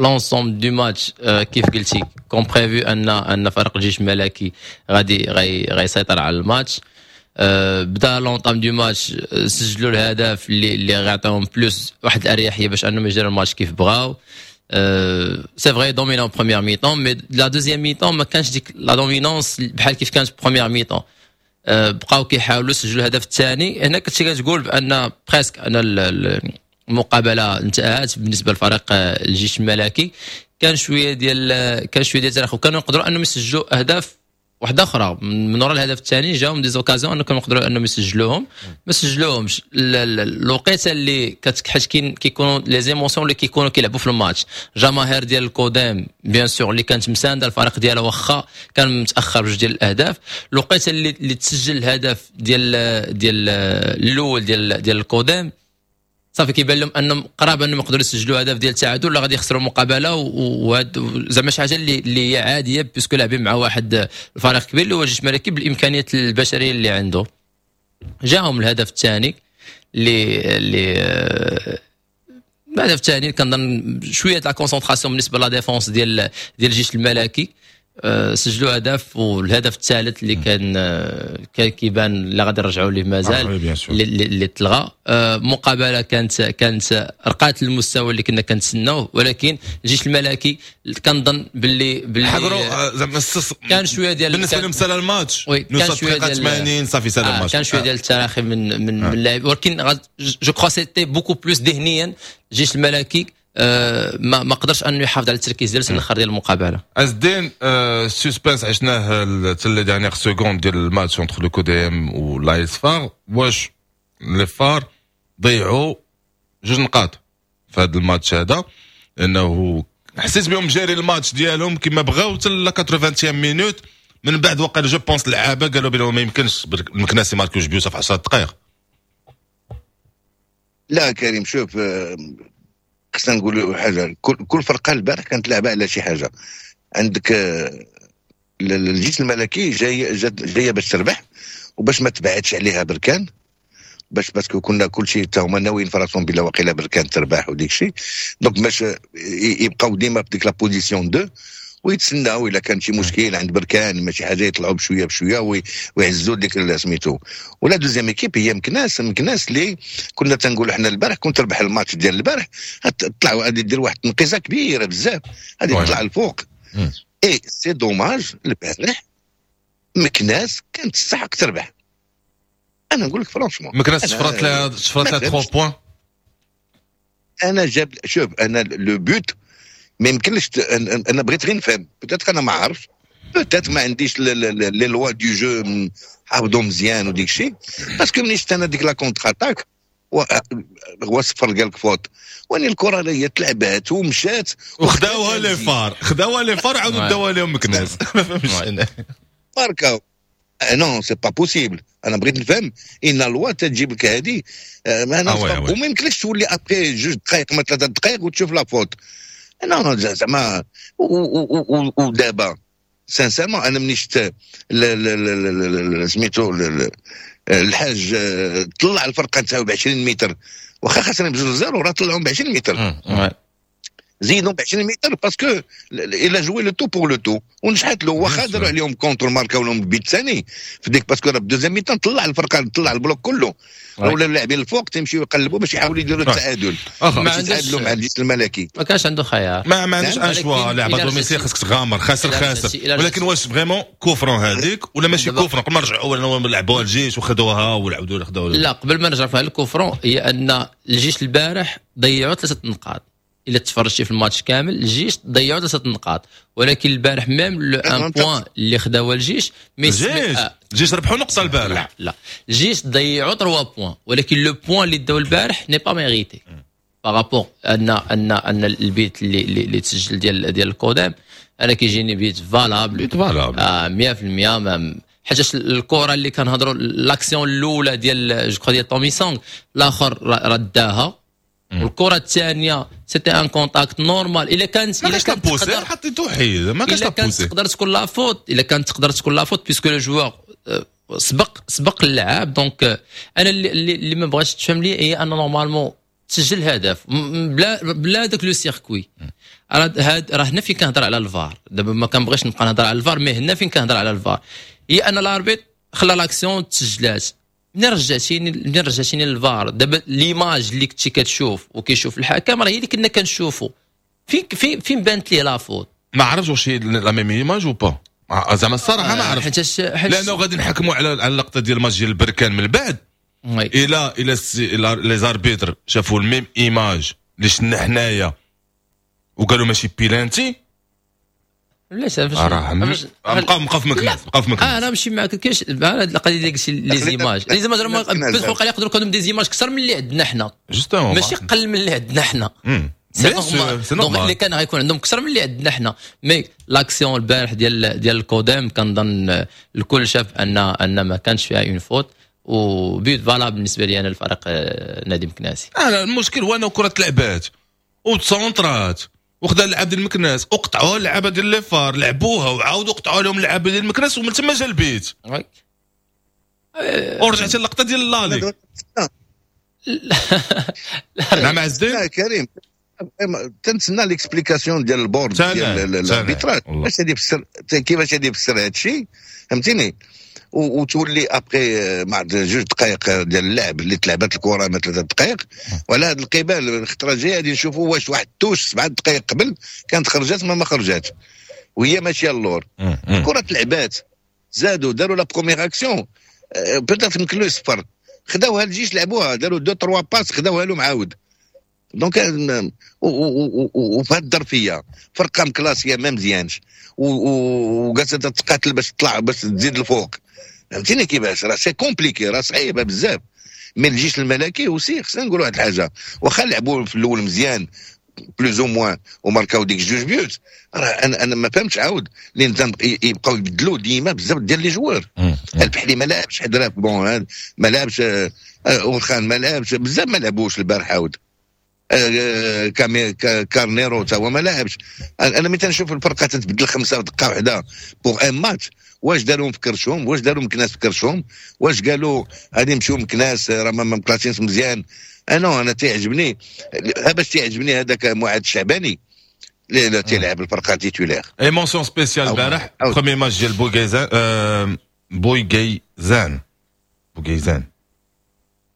l'ensemble du match كيف قلتي comme prévu ان ان فريق الجيش الملكي غادي غيسيطر على الماتش. بدا l'entame du match، سجلوا الهدف اللي اللي غيعطيهم plus واحد الاريحيه باش انهم يجروا الماتش كيف بغاو. C'est vrai dominant première mi-temps، mais la deuxième mi-temps ما كانش ديك la dominance بحال كيف كانت première mi-temps. بقاو كيحاولوا يسجلوا الهدف الثاني. هنا كنتي كتقول بان presque ان المقابلة انتهت بالنسبة لفريق الجيش الملكي. كان شوية ديال كان شوية ديال التراخي، وكانوا يقدروا انهم يسجلوا اهداف واحدة اخرى من وراء الهدف الثاني. جاهم des occasions انهم كانوا يقدروا انهم يسجلوهم، ما سجلوهمش. الوقيته اللي حيت كيكونوا les émotions اللي كيكونوا كيلعبوا في الماتش، جماهير ديال ال CODM bien sûr اللي كانت مساندة الفريق ديالها واخا كان متاخر بجوج ديال الاهداف. الوقيته اللي اللي تسجل الهدف ديال ديال الاول ديال ديال ال CODM، صافي كيبان لهم انهم قراب انهم يقدروا يسجلوا هدف ديال التعادل ولا غادي يخسروا المقابلة. وهاد زعما شي حاجة اللي اللي هي عادية puisque لاعبين مع واحد الفريق كبير اللي هو الجيش الملكي بالامكانيات البشرية اللي عنده. جاهم الهدف الثاني اللي اللي الهدف الثاني كنظن شوية la concentration بالنسبة la défense ديال ديال الجيش الملكي، سجلوا هدف. والهدف الثالث اللي كان كان كيبان اللي غادي نرجعوا ليه مازال اللي, اللي تلغى. مقابله كانت كانت رقات المستوى اللي كنا كنتسناوه، ولكن الجيش الملكي كنظن باللي باللي حقروا زعما كان شوية ديال بالنسبة لهم سال الماتش، كان شوية ديال ثمانين صافي سال الماتش، كان شوية ديال التراخي من من من اللاعب، ولكن je crois c'était beaucoup plus ذهنيا الجيش الملكي أه ما ما قدرش انه يحافظ على التركيز ديالو الاخر ديال المقابلة. عز الدين suspense عشناه حتى les dernières secondes ديال الماتش entre le CODM و l'AS FAR. واش les FAR ضيعوا جوج نقاط في هذا الماتش هذا؟ لانه حسيت بهم جاري الماتش ديالهم كما بغاو حتى la ثمانين minute. من بعد وقع je pense اللعابه قالوا بلي ما يمكنش المكناسي ماركو جوج بيوت في عشرة دقائق. لا كريم شوف، خصنا نقولوا حاجة، كل كل فرقه البارح كانت لعبه على شي حاجة. عندك الجيش الملكي جاي جاية باش تربح وباش ما تبعدش عليها بركان، باش parce que كنا كلشي حتى هما ناويين في راسهم بلا واقيلا بركان تربح وديك الشيء، donc باش يبقاو ديما في ديك la position deux ويتسناو الا كان شي مشكل عند بركان ماشي حاجة يطلعوا بشوية بشوية ويعزوا ديك سميتو. ولا deuxième équipe هي مكناس، مكناس اللي كنا تنقولوا حنا البارح كنت تربح الماتش ديال البارح تطلع غادي دير واحد التنقيزه كبيرة بزاف، غادي تطلع الفوق. Et c'est dommage البارح مكناس كانت تستحق تربح. انا نقول لك franchement مكناس شفرات لها شفرات لها ثلاثة points. انا جاب شوف انا le but ما يمكنليش، انا بغيت غير نفهم، peut-être انا ما عارفش، peut-être ما عنديش les lois du jeu حافظو مزيان وديك الشيء، parce que ملي شفت انا ديك la contre-attaque هو صفر قال لك faute، واني الكره هي تلعبات ومشات وخداوها les FAR، خداوها les FAR عاودوا داوها لهم مكناس. ما فهمتش انا ماركاو. non c'est pas possible. انا بغيت نفهم ان la loi تجيب لك هذه ما انا وما يمكنلكش تولي après جوج دقائق ما ثلاثة دقائق وتشوف la faute. non زعما ودابا sincèrement انا ملي شفت سميتو الحاج طلع الفرقة نتاعو ب عشرين متر، واخا خسرين بجوج zéro راه طلعهم ب عشرين متر، زيدهم ب عشرين متر parce que il a joué le tout pour le tout ونجحت له. واخا داروا عليهم contre ماركاو لهم بيت ثاني في ديك parce que راه deuxième mi-temps طلع الفرقة، طلع ال bloc كله، ولا اللاعبين الفوق تيمشيو يقلبوا باش يحاولوا يديروا التعادل، باش يتعادلوا مع الجيش الملكي. ما كانش عنده خيار، ما ما عندوش un choix. لعب domicile خاصك تغامر، خاسر خاسر. ولكن واش vraiment coup franc هذيك ولا ماشي coup franc؟ قبل ما نرجعوا لعبوها الجيش وخذوها ولعبوا خذوها. لا قبل ما نرجع في ال coup franc، هي ان الجيش البارح ضيعوا ثلاثة نقاط. الا تفرجتي في الماتش كامل الجيش ضيعوا ثلاثة نقاط، ولكن البارح même le un point اللي خداوه الجيش mais الجيش الجيش ربحوا نقطة البارح. لا لا الجيش ضيعوا ثلاثة points، ولكن le point اللي داو البارح n'est pas mérité par rapport ان ان ان البيت اللي اللي تسجل ديال ديال الكودام انا كيجيني but valable، but valable آه مية في المية. حيت الكره اللي كنهضروا l'action الاولى ديال je crois ديال تومي سونغ الاخر رداها، والكره الثانية c'était un contact normal. الا كانت الا كانت تقدر حطيتو حيد ما كانش la poussée، تقدر تكون la faute، الا كانت تقدر تكون la faute puisque le joueur سبق سبق اللاعب. donc انا اللي, اللي ما بغاش تفهم لي هي ان normalement تسجل هدف بلا بلا داك le circuit. راه هاد راه هنا فين كنهضر على الفار. دابا ما كنبغيش نبقى نهضر على الفار، mais هنا فين كنهضر على الفار هي ان l'arbitre خلى l'action تسجلات. منين رجعتيني منين رجعتيني للفار؟ دابا l'image اللي كنتي كتشوف وكيشوف الحكم راه هي اللي كنا كنشوفوا. فين فين فين بانت ليه la faute؟ ما عرفتش واش هي la même image ou pas، زعما الصراحة ما عرفتش، لانه غادي نحكموا على على اللقطة ديال الماتش ديال البركان من بعد. الى الى les arbitres شافوا ال même image اللي شفنا حنايا وقالوا ماشي بيلانتي. علاش راه بقى بقى في مكناس، بقى في مكناس. اه انا ماشي معاك. كاينش هذه القضية ديال les images، les images راه peut-être يقدروا يكونوا des images اكثر من اللي عندنا حنا، ماشي قل من اللي عندنا حنا. c'est normal، donc اللي كان غيكون عندهم اكثر من اللي عندنا حنا. mais l'action البارح ديال ديال الكودام كنظن الكل شاف ان ان ما كانش فيها une faute و but valable بالنسبة لي انا الفريق نادي مكناسي. آه المشكل هو انه كره تلعبات وتسونطرات وخدا اللعاب ديال المكناس وقطعوها اللعابه ديال les FAR، لعبوها وعاودوا قطعوا لهم اللعابه ديال المكناس ومن تما جا البيت. ورجعت اللقطة ديال l'aller. نعم عز الدين كريم، تنتسنى l'explication ديال ال board ديال l'arbitrage باش غادي يفسر كيفاش غادي يفسر هذا الشيء، فهمتيني؟ وتولي après مع جوج دقائق ديال اللعب اللي تلعبت الكره ما ثلاثة دقائق وعلى هذا القبال الخطرة الجاية غادي نشوفوا واش واحد touche سبعة دقائق قبل كانت خرجت ما ما خرجات وهي ماشية اللور. الكره تلعبات، زادوا داروا la première action peut-être يمكن له يصفر، خداوها الجيش لعبوها داروا deux trois passes خداوها لهم عاود. donc وفي هذه الظرفية فرقه مكلاسيه ما مزيانش وجالسه تتقاتل باش تطلع باش تزيد الفوق، فهمتيني كيفاش؟ راه c'est compliqué، راه صعيبة بزاف. mais الجيش الملكي aussi خصنا نقولوا واحد الحاجة، واخا لعبوا في الاول مزيان plus ou moins وماركاو ديك جوج buts، راه انا انا ما فهمتش عاود لان يبقاو يبدلوا ديما بزاف ديال les joueurs. البحري ما لعبش، حدراف bon ما لعبش، اورخان ما لعبش، بزاف ما لعبوش البارح عاود، كارنيرو تا هو ما لعبش. انا ملي تنشوف الفرقة تتبدل خمسة دقه واحدة pour un match، واش داروا في كرشهم؟ واش داروا مكناس في كرشهم؟ واش قالوا غادي نمشيو مكناس راه ما مكلاسينش مزيان؟ انا انا تيعجبني باش تيعجبني هذاك معاذ الشعباني اللي تيلعب الفرقة titulaire. et mention spéciale البارح premier match ديال بوغيزان، بوغيزان بوغيزان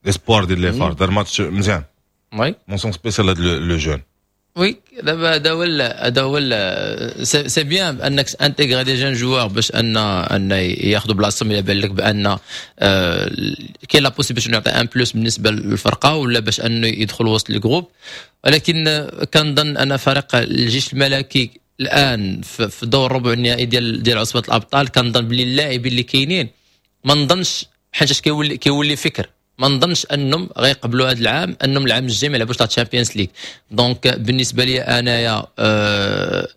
l'espoir ديال les FAR، دار ماتش مزيان. oui mention spéciale هذا le jeune. oui دابا هذا هو هذا هو c'est bien انك intégrer des jeunes joueurs باش ان ان ياخذوا بلاصتهم. الى بان لك بان كاين la possibilité يعطي un plus بالنسبة للفرقة ولا باش انه يدخل وسط ال groupe. ولكن كنظن ان فريق الجيش الملكي الان في دور الربع النهائي ديال ديال عصبه الابطال كنظن بلي اللاعبين اللي كاينين ما نظنش، حيت كيولي كيولي فكر، ما نظنش انهم غيقبلوا هذا العام انهم العام الجاي ما يلعبوش la Champions League. donc بالنسبة لي انايا آه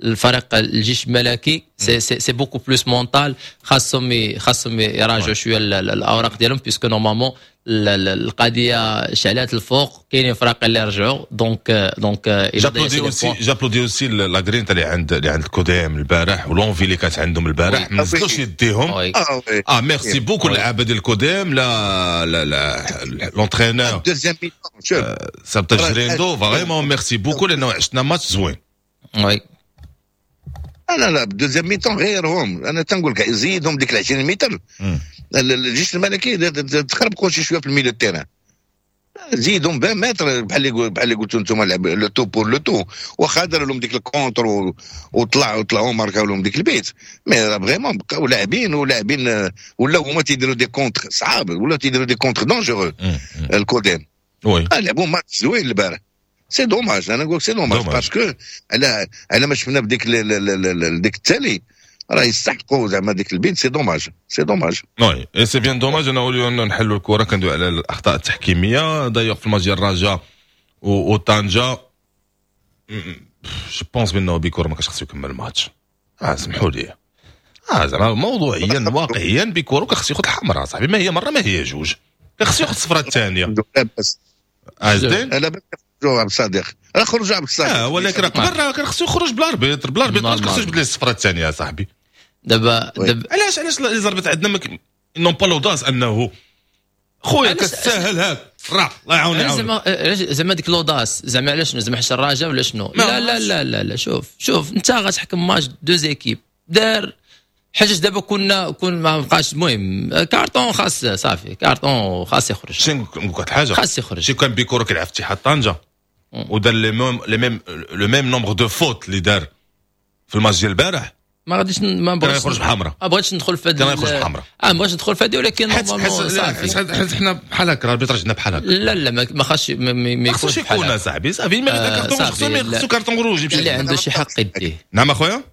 الفريق الجيش الملكي c'est c'est c'est beaucoup plus mental. خاصهم خاصهم يراجعوا شوية الاوراق ديالهم، puisque normalement القضية شعلات الفوق، كاينين فرق اللي رجعوا، donc donc j'applaudis aussi j'applaudis aussi la grinta اللي عند اللي عند الكوديم البارح و l'envie اللي كانت عندهم البارح، ما نزلوش يديهم. اه merci beaucoup اللعابه ديال الكوديم، لا لا لا l'entraîneur سابتا جريندو، vraiment merci beaucoup لانه عشنا ماتش زوين. oui. لا لا، deuxième mi-temps غيرهم، انا تنقول لك زيدهم ديك عشرين متر. الجيش الملكي تخربقوا شي شوية في ال milieu terrain، زيدهم عشرين متر بحال اللي بحال اللي قلتوا انتم، le tout pour le tout. واخا داروا لهم ديك ال contre وطلعوا طلعوا ماركاو لهم ديك البيت، mais vraiment بقاو لاعبين ولاعبين، ولاو هما تيديروا des contres صعاب، ولاو تيديروا des contres dangereux الكوديم. oui، لعبوا ماتش زوين البارح. c'est dommage، انا نقول c'est dommage parce que على على ما شفنا بديك ديك التالي راه يستحقوا زعما ديك البيت. c'est dommage، c'est dommage. oui، c'est bien dommage. انا نقولوا نحلوا الكره، كندوي على الاخطاء التحكيميه d'ailleurs في الماتش ديال الرجاء وطنجه. je pense بانه بيكورو ما كانش خصو يكمل الماتش. اه سمحوا لي، اه زعما موضوعيا واقعيا بيكورو كان خصو ياخذ الحمراء صاحبي، ما هي مرة ما هي جوج، كان خصو ياخذ الصفرة الثانيه. عزدين لا بس عبد الصادق راه خرج عبد الصادق. اه ولكن راه قبل كان خصو يخرج ب l'arbitre ب l'arbitre خصو يجبد ليه الصفرة الثانية يا صاحبي. دابا دابا علاش علاش les arbitres عندنا n'ont pas l'audace انه خويا كتساهل هاك راه الله يعاون يعاون زعما زعما ديك l'audace زعما علاش زعما حتى الرجاء ولا شنو؟ لا لا لا لا لا، شوف شوف انت غتحكم match deux équipes دار حاجة. دابا كنا كون ما بقاش، المهم كارطون خاص، صافي كارطون خاص يخرج. شنو نقول لك حاجه، خاص يخرج. شي كان بيكورو كيلعب في اتحاد طنجه ودار les mêmes les mêmes le même nombre de fautes اللي دار في الماتش ديال البارح، ما غاديش ما بغيتش يخرج بحمراء. ما بغيتش ندخل في هذه، كان يخرج بحمراء. اه ما بغيتش ندخل في هذه، ولكن حيت حيت حيت حنا بحال هكا l'arbitrage عندنا بحال هكا. لا لا، ما خاصش ما, ما يكونش يكون صاحبي، صافي ما كارطون خصو خصو carton rouge يمشي. اللي عنده شي حق يديه. نعم اخويا.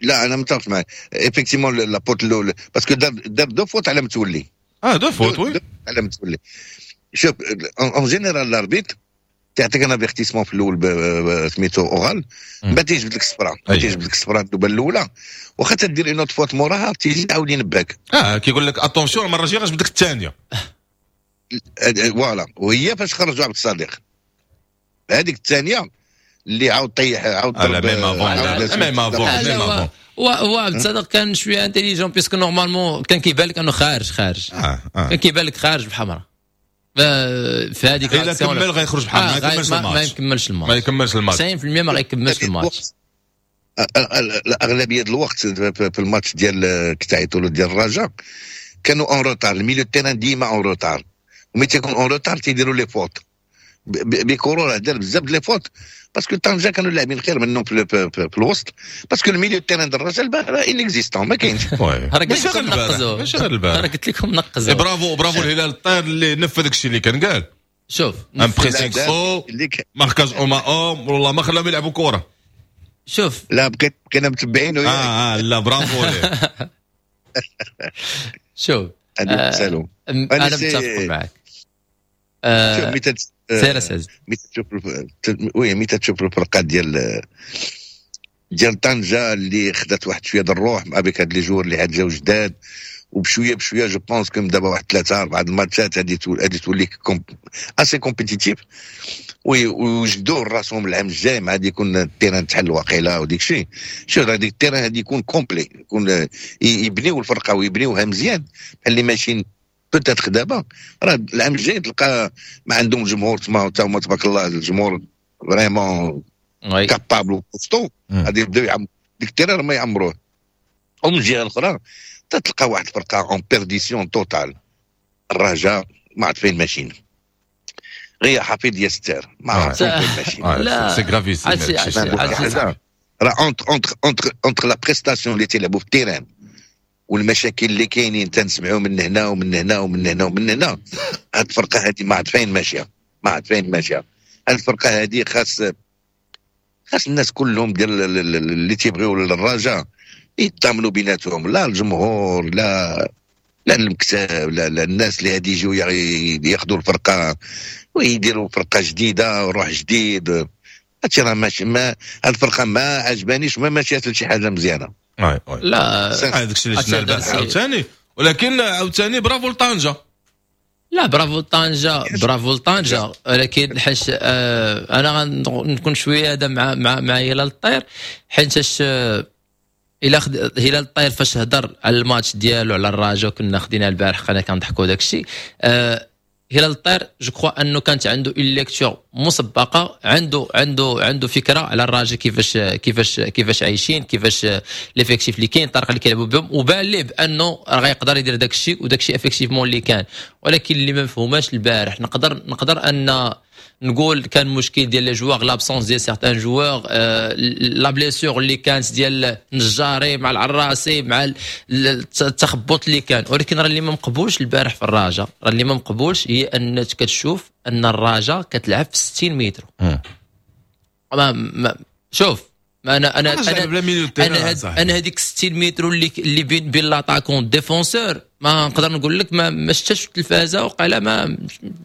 لا انا متفق معك، effectivement la faute الاولى parce que دار دار deux fautes على متولي. اه deux fautes، oui. على متولي. شوف، en général l'arbitre تعطيك un avertissement في الاول سميتو oral، من بعد تيجبد لك الصفراء، تيجبد لك الصفراء النوبة الاولى، واخا تدير une autre faute موراها تيجي عاود ينبهك. اه كيقول لك attention، المرة الجاية غنجبد لك الثانيه. voilà، وهي فاش خرجوا عبد الصادق هذيك الثانية اللي عاود طيح عاود ضرب. même avant، même avant، même avant. هو عبد الصادق كان شوية intelligent، puisque normalement كان كيبان لك انه خارج خارج. آه آه. كان كيبان لك خارج بحمراء في هذيك. الا كمل غيخرج بحال ما يكملش الماتش. ما يكملش الماتش. ما يكملش الماتش. تسعين في المية ما غيكملش الماتش. الاغلبية الوقت في الماتش ديال كتعيطوا له ديال الرجاء كانوا en retard، ال milieu terrain ديما en retard، وملي تيكون en retard تيديروا les fautes. بيكورو راه دار بزاف les fautes parce que طنجه كانوا لاعبين خير منهم في, في, في, في الوسط، parce que ال milieu terrain ديال الرجاء البارح inexistant، ما كاينش. راه قلت لكم نقزوا. ماشي غير البارح. راه قلت لكم نقزوا. bravo bravo الهلال الطير اللي نفذ داك الشيء اللي كان قال. شوف، un pressing haut، marquage homme à homme، والله ما خلاهم يلعبوا كره. شوف. لا بقيت بقينا متبعين. اه اه لا، برافو ليه. شوف، آه انا متفق معك. آه شوف، سير سير. ملي تشوف، oui، ملي تشوف الفرقة ديال ديال طنجه اللي خدات واحد شوية د الروح avec هاد les joueurs اللي عاد جاو جداد، وبشويه بشويه، je pense que دابا واحد ثلاثة اربعة الماتشات غادي غادي تولي assez compétitive، ويوجدوا راسهم العام الجاي مع غادي يكون ال terrain تحل واقيلا وديك الشيء. شوف، هذيك ال terrain غادي يكون complet، يكون يبنيو الفرقة ويبنيوها مزيان بحال اللي ماشيين peut-être دابا. راه العام الجاي تلقى ما عندهم جمهور تما حتى هما، تبارك الله الجمهور vraiment capable و costaud، غادي يبداو يعم ديك ال terrain ما يعمروه. ومن الجهة الاخرى تلقى واحد الفرقة en perdition totale، الرجاء، ما عرفت فين ماشيين، غير حفيظ يستر، ما عرفت فين ماشيين. لا c'est gravissime. راه entre entre entre entre la prestation اللي تيلعبوا في ال terrain والمشاكل اللي كاينين تنسمعوا من هنا ومن هنا ومن هنا ومن هنا، هاد الفرقة هذه ما عرفت فين ماشيه، ما عرفت فين ماشية هاد الفرقة هذه. خاص خاص الناس كلهم ديال اللي تيبغيو الرجاء يتضامنوا بيناتهم، لا الجمهور، لا لا المكتب، لا, لا الناس اللي غادي يجيو ياخذوا الفرقة ويديروا فرقه جديدة وروح جديد. هادشي راه ماشي، ما هاد الفرقة ما عجبانيش، ما ماشية لشي حاجة مزيانه. لا هذاك الشيء اللي شفنا البارح عاوتاني، ولكن عاوتاني برافو لطنجه. لا برافو لطنجه، برافو لطنجه، ولكن حيت آه انا غنكون شوية هذا مع مع مع هلال الطير، حيتاش آه الى خد... هلال الطير فاش هضر على الماتش ديالو على الرجاء كنا خدينا البارح قنا كنضحكوا داك الشيء. آه هلال الطير je crois انه كانت عنده une lecture مسبقة، عنده عنده عنده فكرة على الرجاء كيفاش كيفاش كيفاش عايشين، كيفاش l'effectif اللي كاين، الطريقة اللي كيلعبوا بهم، وبان ليه بانه راه غيقدر يدير داك الشيء، وداك الشيء effectivement اللي كان. ولكن اللي ما مفهوماش البارح، نقدر نقدر ان نقول كان مشكل ديال les joueurs، l'absence ديال certains joueurs، la blessure اللي كانت ديال النجاري مع العراسي مع التخبط اللي كان. ولكن راه اللي ما مقبولش البارح في الرجاء، راه اللي ما مقبولش هي ان كتشوف ان الرجاء كتلعب في ستين متر. ما, ما شوف ما انا انا انا انا, هاد انا هذيك ستين متر اللي اللي بين بين l'attaquant défenseur، ما نقدر نقول لك ما ما شفتش في التلفازه وقال ما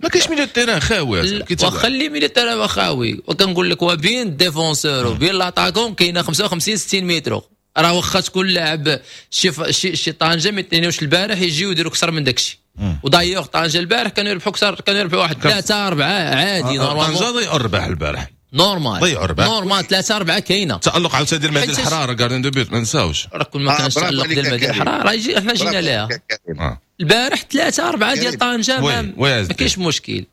ما كاينش milieu terrain خاوي، واخا اللي milieu terrain خاوي، وكنقول لك وبين défenseur وبين l'attaquant كاينه خمسة وخمسين ستين متر. راه واخا تكون لاعب شي شي شي طنجه ما يتنيوش البارح يجيو يديروا اكثر من داك الشيء. و d'ailleurs طنجه البارح كانوا يربحوا اكثر، كانوا يربحوا واحد ثلاثة أربعة عادي normalement. طنجه ضيعوا الرباح البارح normal، ضيعوا الرباح normal، ثلاثة أربعة كاينه. تألق عاوتاني ديال مهدي الحرارة gardien de but ما نساوش، راه كل ما كانش تألق ديال مهدي الحرارة راه يجي حنا جينا ليها البارح ثلاثة أربعة ديال طنجه ما كاينش مشكل.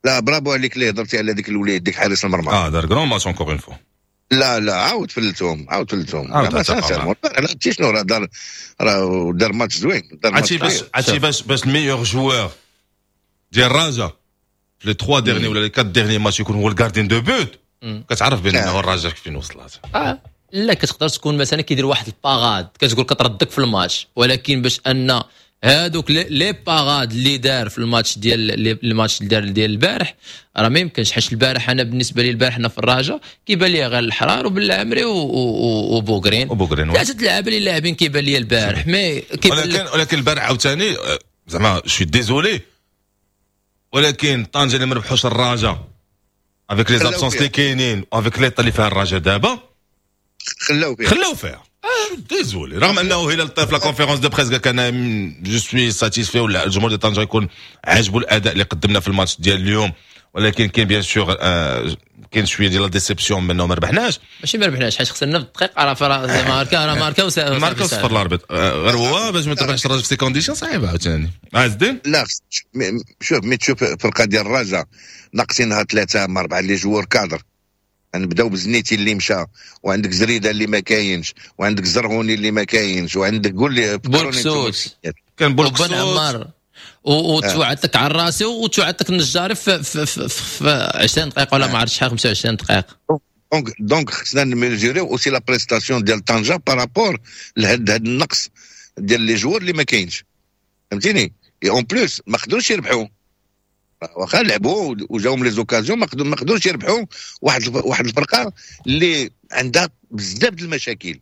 لا برافو عليك اللي هضرتي على ديك الوليد ديك حارس المرمى. اه دار grand match encore une fois. لا لا عاود فلتهم، عاود فلتهم. لا عرفتي شنو راه دار، راه دار ماتش زوين. عرفتي باش عرفتي باش باش ال meilleur joueur ديال الرجاء في les ثلاثة derniers ولا les أربعة derniers matchs يكون هو ال gardien de but، كتعرف بانه الرجاء فين وصلت. اه لا كتقدر تكون مثلا كيدير واحد ال parade كتقول كتردك في الماتش، ولكن باش ان هادوك les parades اللي دار في الماتش ديال الماتش اللي دار ديال البارح راه ما يمكنش. حيت البارح انا بالنسبة لي البارح انا في الرجاء كيبان لي غير الحرار وبالعمري وبوغرين وبوغرين ثلاثة اللعابه اللي لاعبين كيبان لي البارح. mais كيبان ولكن ولكن البارح عاوتاني زعما je suis désolé، ولكن طنجه اللي ما ربحوش الرجاء avec les absences اللي كاينين avec l'état اللي فيها الرجاء دابا خلاو فيها خلاو فيها désolé. رغم انه هلال الطير في la conférence de presse كان je suis satisfait ولا الجمهور ديال طنجه يكون عاجبو الاداء اللي قدمنا في الماتش ديال اليوم، ولكن كاين bien sûr كاين شوية ديال la déception منه ما ربحناش. ماشي ما ربحناش حيت خسرنا في الدقيقة، راه ماركا راه ماركا ماركا صفر l'arbitre، غير هو باش ما تربحش الرجاء في ces conditions صعيبة عاوتاني. عز الدين لا شوف mais تشوف الفرقة ديال الرجاء ناقصينها ثلاثة ما اربعة les joueurs cadres، نبداو بزنيتي اللي مشى، وعندك زريده اللي ما كاينش، وعندك زرهوني اللي ما كاينش، وعندك قول لي بولكسوت كان بولكسوت وبن عمار وتوعدتك على راسي وتوعدتك النجاري في, في, في, في عشرين دقيقة ولا ما عرفتش شحال خمسة وعشرين دقيقة. donc donc خصنا نميزوريو aussi la prestation ديال طنجه par rapport لهاد هاد النقص ديال les joueurs اللي ما كاينش، فهمتيني؟ en plus ما قدروش يربحوا، واخا لعبوا وجاهم les occasions ما قدروش يربحوا واحد واحد الفرقة اللي عندها بزاف د المشاكل.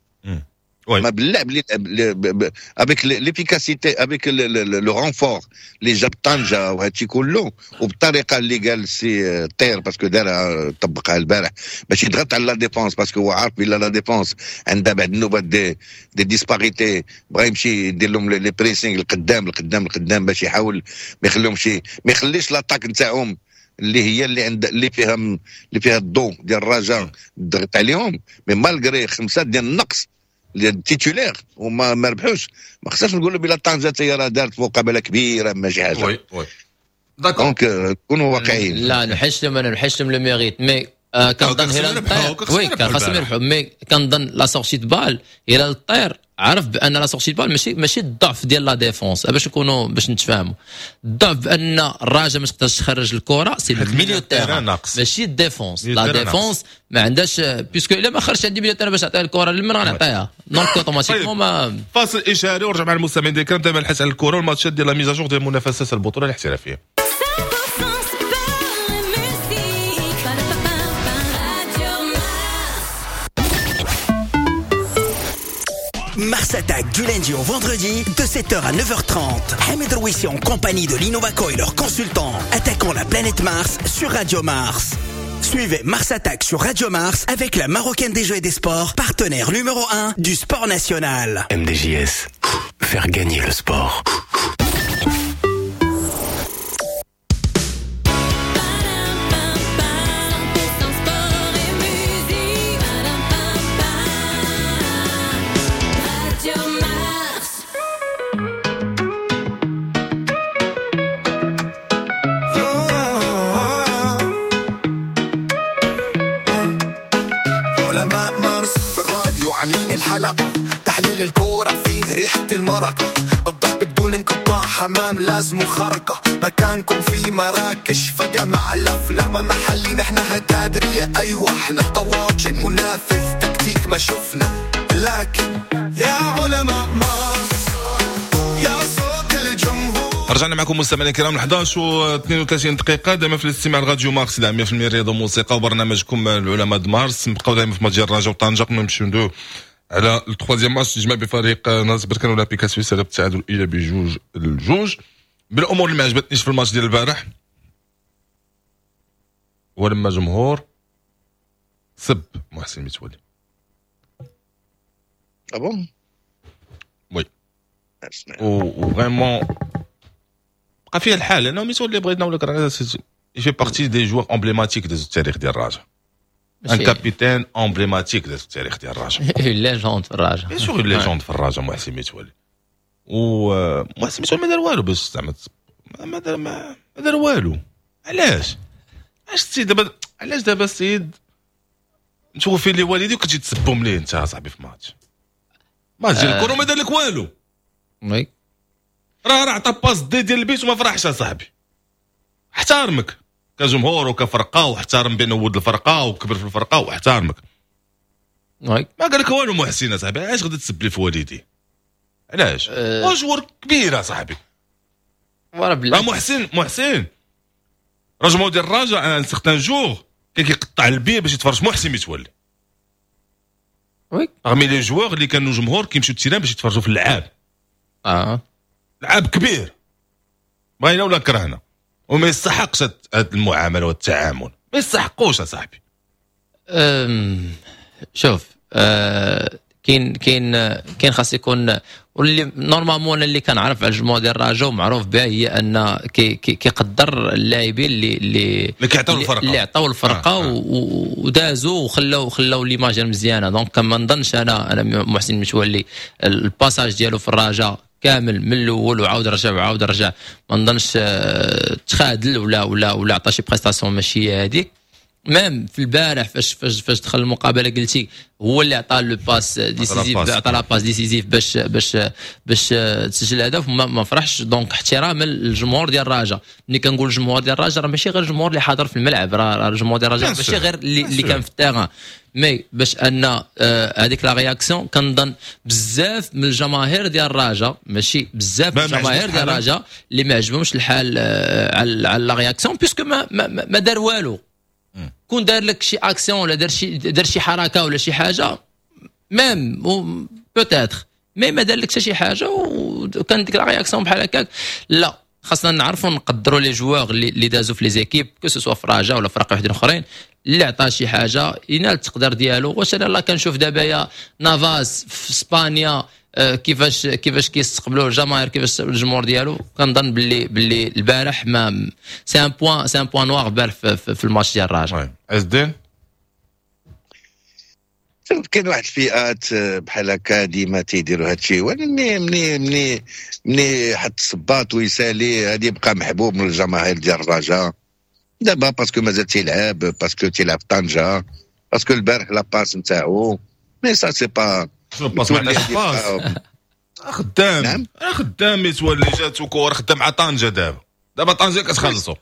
ما باللعب اللي avec l'efficacité avec le renfort اللي جاب طنجه وهادشي كله، وبالطريقه اللي قال سي طير parce que دارها طبقها البارح باش يضغط على la défense، parce que هو عارف بلا la défense عندها بعد النوبات des des disparités، بغا يمشي يدير لهم les pressings القدام القدام القدام باش يحاول ما يخليهمش ما يخليش l'attaque نتاعهم اللي هي اللي عند اللي فيها اللي فيها الضوء ديال الرجاء ضغط عليهم. mais malgré خمسة ديال النقص ديال ال titulaires وما ما ربحوش، ما خصناش نقولوا بلا طنجه هي راه دارت مقابله كبيرة ماشي حاجة. oui oui d'accord، donc كونوا واقعيين. لا نحش لهم، انا نحش لهم le mérite، mais كنظن هلال الطير oui كان خاصهم يربحوا، mais كنظن la sortie de balle هلال الطير عرف بان la sortie de balle ماشي ماشي الضعف ديال la défense، باش نكونوا باش نتفاهموا، الضعف بان الرجاء ما تقدرش تخرج الكره c'est ال milieu terrain ماشي ال défense. la défense ما عندهاش puisque الا ما خرجش عندي milieu terrain باش نعطيها الكره لمن غنعطيها، donc automatiquement ما. فاصل اشاري ورجع مع المستمعين ديال الكرام دائما الحديث على الكره والماتشات ديال la mise à jour ديال منافسات البطولة الاحترافية. Mars Attack du lundi au vendredi de sept heures à neuf heures trente. Hamid Rouissi en compagnie de l'Innovaco et leurs consultants attaquant la planète Mars sur Radio Mars. Suivez Mars Attack sur Radio Mars avec la Marocaine des Jeux et des Sports, partenaire numéro un du sport national. M D J S, faire gagner le sport. تحليل الكورة فيه ريحة المرق، الضرب بدون انقطاع، حمام لازم خرقة، مكانكم في مراكش فجأة مع الأفلام محلي، نحن هتادرية أيوة احنا طواجن، منافس تكتيك ما شفنا، لكن يا علماء مارس يا صوت الجمهور. رجعنا معكم مستمعينا الكرام احد عشر و اثنين وثلاثين دقيقة دائما في الاستماع لراديو مارس مية بالمية رياضة وموسيقى وبرنامجكم العلماء د مارس. نبقاو دائما في ماتش الرجاء وطنجة قبل ما نمشيو ندويو على ال troisième match تجمع بفريق ناس بركان اولمبيك السويسري بالتعادل الايجابي جوج لجوج. بالامور اللي ما عجبتنيش في الماتش ديال البارح هو لما جمهور سب محسن متولي. ah bon oui و vraiment بقى فيها الحال لانه متولي بغينا ولا كرهنا il fait partie des joueurs emblématiques ديال التاريخ ديال الرجاء، un capitaine emblématique ديال التاريخ ديال الرجاء، légende في الرجاء، bien sûr légende في الرجاء محسن متولي. و محسن متولي ما دار والو باش زعما ما دار ما دار والو. علاش علاش السيد دابا علاش دابا السيد متوفي لي والدي وكتجي تسبهم ليه انت صاحبي في ماتش ماتش ديال الكره ما دار لك والو. oui راه راه عطى passe D ديال البيت وما فرحش اصاحبي. احترمك كجمهور وكفرقه واحترم بانه ولد الفرقة وكبر في الفرقة واحترمك. oui ما قال لك والو محسن اصاحبي، علاش غادي تسب لي في والدي؟ علاش؟ هو joueur كبير اصاحبي. راه محسن محسن راه جمهور ديال الرجاء un certain jour كان كيقطع البي باش يتفرج محسن متولي. oui parmi les joueurs اللي كانوا جمهور كيمشيو لل terrain باش يتفرجوا في اللعاب. اه لعاب كبير بغينا ولا كرهنا وما يستحقش هاد المعاملة والتعامل، ما يستحقوش اصاحبي. شوف أه كاين كاين كاين خاص يكون، واللي normalement اللي كنعرف على الجمهور ديال الرجاء ومعروف بها هي ان كي كيقدر اللاعبين اللي اللي اللي كيعطيو الفرقة اللي عطاو الفرقة آه. آه. ودازوا وخلاو خلاو l'image مزيانه. donc ما نظنش انا انا محسن متولي ال passage ديالو في الرجاء كامل من الاول وعاود رجع وعاود رجع، ما نظنش تخادل ولا ولا ولا عطى شي prestation ماشي هذيك. même في البارح فاش فاش فاش دخل المقابلة قلتي هو اللي عطى le passe décisif، عطى la passe décisive باش باش باش تسجل الهدف، ما, ما فرحش. donc احتراما للجمهور ديال الرجاء. ملي كنقول الجمهور ديال الرجاء راه ماشي غير الجمهور اللي حاضر في الملعب، راه الجمهور ديال الرجاء ماشي غير اللي, اللي كان في ال terrain. mais باش ان هذيك la réaction كنظن بزاف من الجماهير ديال الرجاء، ماشي بزاف من الجماهير ديال الرجاء اللي ما عجبهمش الحال على على la réaction puisque ما ما, ما دار والو. كون دار لك شي اكسيون ولا دار شي دار شي حركة ولا شي حاجة même peut-être، mais ما دار لك حتى شي حاجة وكان ديك la réaction بحال هكاك. لا خاصنا نعرفوا نقدروا les joueurs اللي دازوا في les équipes que ce soit في رجاء ولا فرق وحدين اخرين اللي عطى شي حاجة ينال التقدير ديالو. واش انا لا كنشوف دابا يا نافاس في اسبانيا كيفاش كيفاش كيستقبلوا الجماهير، كيفاش الجمهور ديالو، كنظن باللي باللي البارح ما c'est un point c'est un point noir البارح في, في, في الماتش ديال الرجاء. عز الدين كاين واحد الفئات بحال هكا ديما تيديروا هادشي، ولكن مني مني مني حط الصباط ويسالي غادي يبقى محبوب من الجماهير ديال الرجاء دابا parce que مازال تيلعب، parce que تيلعب طنجه، parce que البارح la passe نتاعو mais ça c'est pas passe ما passe خدام. نعم؟ خدام يتولي جاتو كور خدام مع طنجه دابا دابا طنجه كتخلصو.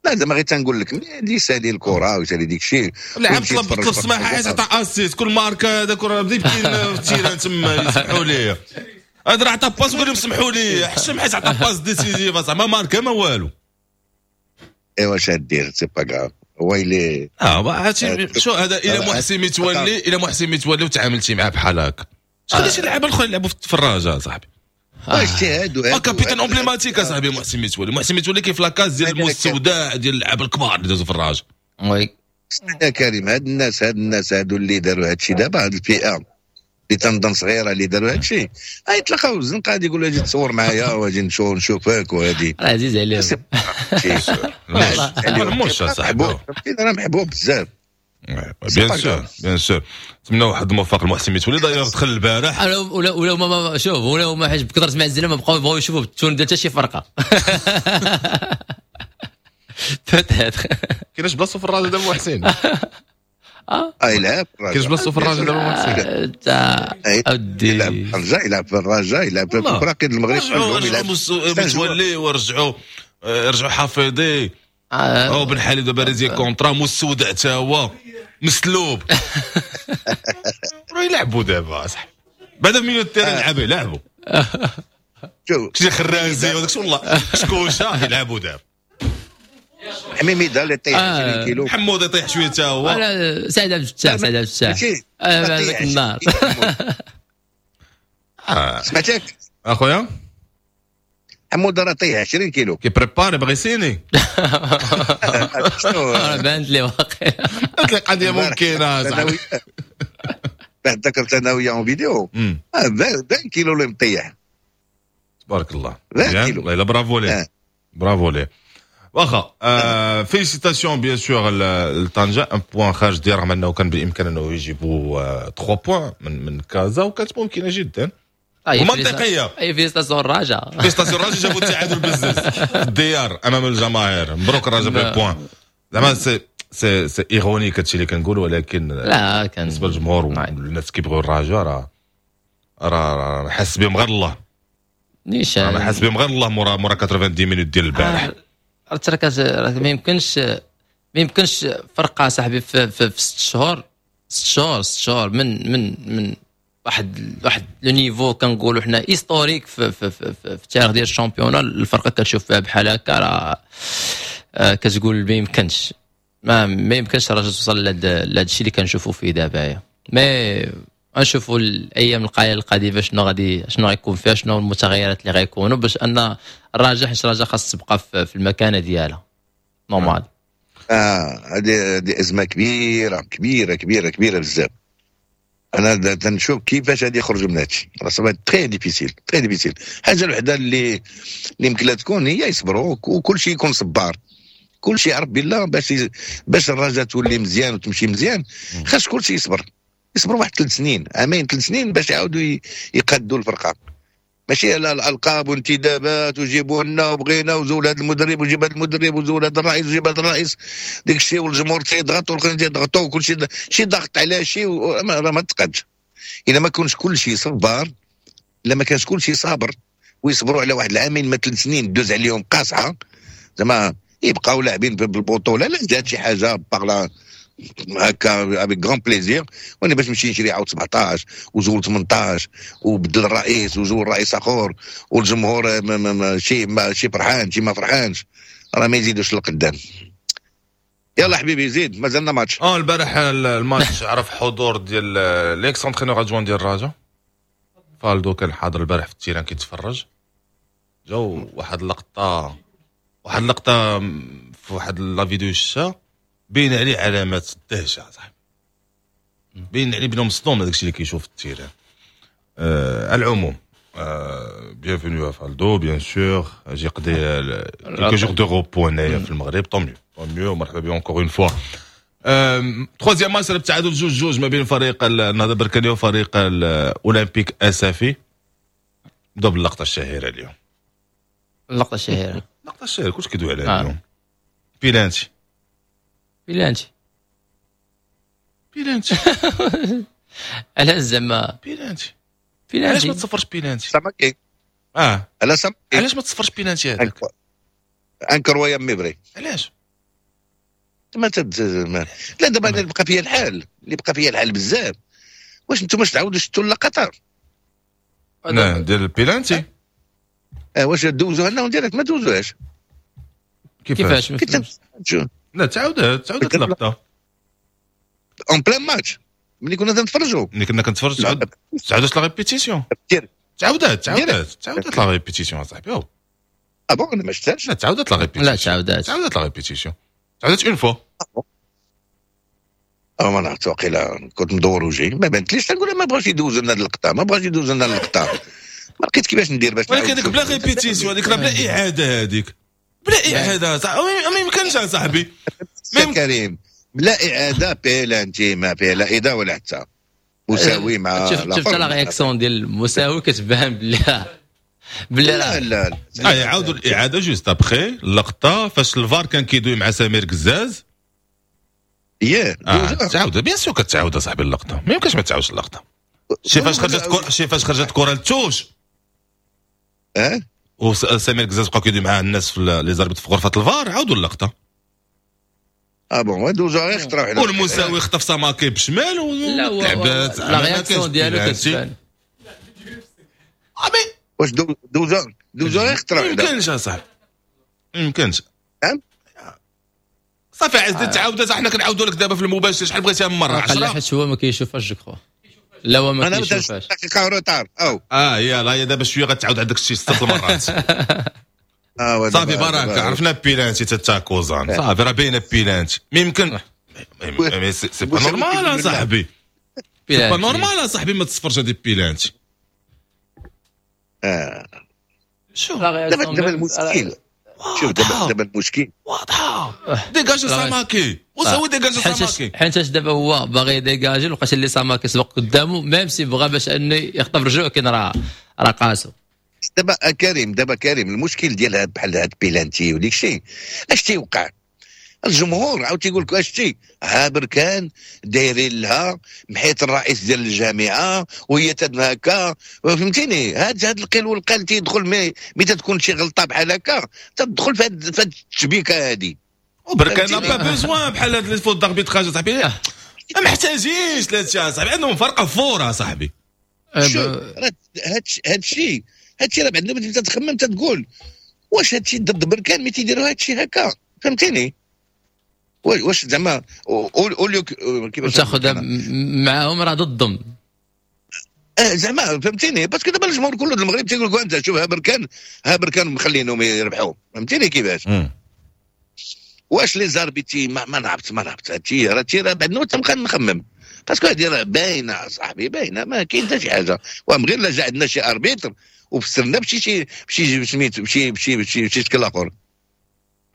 لا زعما غير تنقول لك ملي يسالي الكره ويسالي ديك الشيء لعب طلب طلب السماحة حيت عطى assist كل ماركة هذاك راه بدا يبكي في ال terrain تما يسمحوا لي هذا راه عطى passe وقال لهم سمحوا لي حشم حيت عطى passe décisive زعما ماركة ما والو. ايوا اش دير c'est pas grave هو اللي اه عرفتي شو هذا الى محسن متولي الى محسن متولي وتعاملتي معاه بحال هكا خلي شي لعابه الاخرين يلعبوا في الرجاء صاحبي. اجتهاد اه capitaine emblématique اصاحبي محسن متولي. محسن متولي كيف la case ديال المستودع ديال اللعابه الكبار اللي دازوا في الرجاء. oui يا كريم، هاد الناس هاد الناس هادو اللي داروا هادشي دابا، هاد الفئة اللي تنظن صغيرة اللي داروا هادشي، يتلاقاو الزنقة غادي يقولوا اجي تصور معايا واجي نشوف نشوفك وهادي. راه عزيز عليهم. مرموش صاحبي راه محبوب بزاف. bien sûr bien sûr، نتمنى واحد الموفق المحسن متولي، d'ailleurs دخل البارح. ولا ولا ما شوف، ولا ما حيت بكثرة ما عزيز ما بقاو يبغاو يشوفوا بال tenue ديال حتى شي فرقه. peut-être كاينش بلاصتو في الراجل دابا محسن. اه يلعب، كاينش بلاصتو في الراجل دابا محسن. اودي يلعب في الرجاء، يلعب في الرجاء، يلعب في الفراقي المغرب. رجعوا متولي ورجعوا رجعوا حفيظي او بن حليب دابا résilié contrat، مستودع تا هو مسلوب. راه يلعبوا دابا صاحبي، بعدا milieu terrain لعبوا يلعبوا. شوف شي خرازي وداك والله شكوشه يلعبوا دابا. حميميده اللي طيح عشرين كيلو، حمود يطيح شوية تا هو. سعد عبد الفتاح، سعد عبد الفتاح هذاك النهار. سمعتك اخويا حمود راه طيح عشرين كيلو، كي préparer بغي يسيني. بانت لي واقيلا قلت لك قضية ممكنة صاحبي. بعد ذكرت انا وياه en vidéo عشرين كيلو اللي مطيح. تبارك الله، والله الا برافو ليه، برافو ليه. واخا félicitations bien sûr لطنجة، un point خارج ديال، رغم انه كان بالامكان انه يجيبوا ثلاثة points من من كازا وكانت ممكنة جدا ومنطقيه. اي félicitations الرجاء، félicitations الرجاء جابوا التعادل بزز في الديار امام الجماهير. مبروك الرجاء بال point. زعما c'est c'est c'est ironique هادشي اللي كنقول، ولكن لا كان بالنسبة للجمهور والناس كيبغيو الرجاء راه راه حس بهم غير الله نيشان، حس بهم غير الله مورا مورا تسعين minutes ديال البارح. راه ما يمكنش، ما يمكنش فرقه صاحبي في, في, في ست شهور ست شهور ست شهور من من من واحد واحد le niveau كنقولوا حنا historique في في في, في التاريخ ديال ال championnat، الفرقة كتشوف فيها بحال هكا راه كتقول ما يمكنش، ما ما يمكنش الرجاء توصل لهذا الشيء اللي كنشوفوا فيه دابا. mais نشوفوا الايام القليلة القادمة شنو غادي شنو غيكون فيها، شنو المتغيرات اللي غيكونوا، باش ان الرجاء حيت الرجاء خاص تبقى في المكانة ديالها normal. اه هذه هذه ازمة كبيرة كبيرة كبيرة كبيرة بزاف. انا تنشوف كيفاش غادي يخرجوا من هادشي، راه ça va être très difficile très difficile. الحاجة الوحدة اللي اللي يمكن لها تكون هي يصبروا وكل شيء يكون صبار، كل شيء يعرف بالله باش باش الرجاء تولي مزيان وتمشي مزيان، خاص كل شيء يصبر، يصبروا واحد ثلاث سنين، عامين ثلاث سنين باش يعاودوا يقادوا الفرقة. ماشي على الالقاب وانتدابات وجيبوا لنا وبغينا وزول هذا المدرب وجيب هذا المدرب وزول هذا الرئيس وجيب هذا الرئيس، ديك الشيء والجمهور تيضغط والخرين تيضغطوا وكل شيء شي ضغط على شيء، ما, ما تقادش. الا ما كونش كل شيء صبار، الا ما كانش كل شيء صابر ويصبروا على واحد العامين ما ثلاث سنين دوز عليهم قاصحة، زعما يبقاو لاعبين بالبطولة. لا جات شي حاجة باغ هكا avec grand plaisir، وانا باش نمشي نشري عاود سبعطاش وزول ثمنطاش وبدل الرئيس وزول رئيس اخر والجمهور شي ما شي فرحان شي ما فرحانش، راه ما يزيدوش للقدام. يلا حبيبي زيد، مازلنا ماتش. اه البارح الماتش عرف حضور ديال l'ex-entraîneur adjoint ديال الرجاء فالدو، كان حاضر البارح في ال terrain كيتفرج. جاو واحد اللقطة، واحد اللقطة في واحد la vidéo شتا بين عليه علامات الدهشة صاحبي، بين عليه بانه مصدوم هذاك الشيء اللي كيشوف في ال terrain. آه على العموم آه bienvenue فالدو bien sûr، اجي يقضي quelques jours de repos هنايا في المغرب، tant mieux tant mieux، مرحبا به encore une fois. troisième match التعادل جوج جوج ما بين فريق النهضة البركانيه وفريق الاولمبيك اسفي. نبداو باللقطه الشهيرة اليوم. اللقطة الشهيرة، اللقطة الشهيرة كلشي كيدوي عليها اليوم. بيلانتي بيلانتي بيلانتي علاش زعما بيلانتي؟ علاش ما تصفرش بيلانتي؟ ساماكي اه على ساماكي علاش ما تصفرش بيلانتي هذاك؟ incroyable mais vrai. علاش؟ ما تد... ما... لا دابا اللي بقى فيا الحال، اللي بقى فيا الحال بزاف. واش انتم تعاودوا شفتوا اللقطة؟ لا ديال البيلانتي اه واش دوزوها لنا direct؟ ما دوزوهاش. كيفاش؟ لا تعاودت تعاودت اللقطة en plein match ملي كنا تنتفرجوا، ملي كنا كنتفرجوا تعاود تعاودت la répétition، تعاودت تعاودت تعاودت la répétition اصاحبي. اه bon انا ما شفتهاش. لا تعاودت la répétition، لا تعاودت تعاودت la répétition، تعاودت une fois. اه ما نعرفت، واقيلا كنت مدور وجهي ما بانتليش. تنقول ما بغاش يدوز لنا اللقطة، ما بغاش يدوز لنا اللقطة، ما لقيت كيفاش ندير باش ولكن هذيك بلا répétition، هذيك راه بلا اعاده، هذيك بلا اعاده ما يمكنش اصاحبي. كريم بلا اعاده بيلانتي، ما فيها لا اعاده ولا حتى مساوي مع شفت شفت la réaction ديال المساوي كتبان بلي بلي لا لا لا يعاودوا الاعادة juste après اللقطة فاش الفار كان كيدوي مع سمير كزاز. ياه آه. تعاود bien sûr كتعاود اصاحبي اللقطة، ما يمكنش ما تعاودش اللقطة. شي فاش خرجت كور... شي فاش خرجت كره ل touche اه وسمير كزاز بقى كيدوي مع الناس في les arbitres في غرفة الفار، عاودوا اللقطة. اه bon دوزو غير خطره واحدة. والمساوي خطف ساماكي بشمال ولعبات la réaction ديالو كتبان. واش دوزو دوزو غير خطره واحدة؟ ما يمكنش اصاحبي، ما يمكنش. صافي عز تعاودات، حنا كنعاودوا لك دابا في المباشر شحال بغيتيها من مرة؟ عشرة حيت هو ما كيشوفهاش je crois. لا هو ما كيشوفهاش. دقيقة retard او اه يلا هي دابا شوية غتعاود عندك شي ست المرات. آه صافي بركة، عرفنا بيلانتي تا كوزان صافي راه باينة بيلانتي. ما يمكن c'est pas normal اصاحبي، c'est pas normal اصاحبي ما تصفرش هذه بيلانتي. اه شوف دابا دابا المشكل، شوف دابا دابا المشكل واضحة، dégage ساماكي وساوي dégage ساماكي. حيتاش دابا هو باغي dégager، لقاش اللي ساماكي سبق قدامه même si بغى باش انه يخطف رجوع كاين راه راه قاسو. دابا كريم دابا كريم المشكل ديال هاد بحال هاد بيلانتي وديك الشيء اش تيوقع؟ الجمهور عاود تيقول لك اش تي ها بركان دايرين لها محيط الرئيس ديال الجامعة وهي تدنا هكا، فهمتيني؟ هاد هاد القيل والقال تيدخل mais mais تتكون شي غلطه بحال هكا تدخل في هاد في هاد التشبيكه هادي. وبركان n'a pas besoin بحال هاد les fautes d'arbitrage صاحبي، ما محتاجينش لهادشي اصاحبي، عندهم فرقه fort اصاحبي. شوف هاد هادشي هادشي راه بعد ما تخمم تتقول واش هادشي ضد بركان mais تيديروا هادشي هكا، فهمتيني؟ واش زعما قول كيفاش تاخذ معاهم راه ضدهم اه زعما، فهمتيني؟ parce que دابا الجمهور كله المغرب تيقول لك انت شوف ها بركان ها بركان مخلينهم يربحوا، فهمتيني كيفاش؟ واش les arbitres ما, ما نعرفت ما نعرفت هادشي راه راه بعد نوت تنبقى نخمم parce que هادي راه باينة صاحبي، باينة ما كاين حتى شي حاجة. وهم غير لا جا عندنا شي arbitre وفسرنا بشي شي بشي سميتو بشي بشي بشي بشي شكل اخر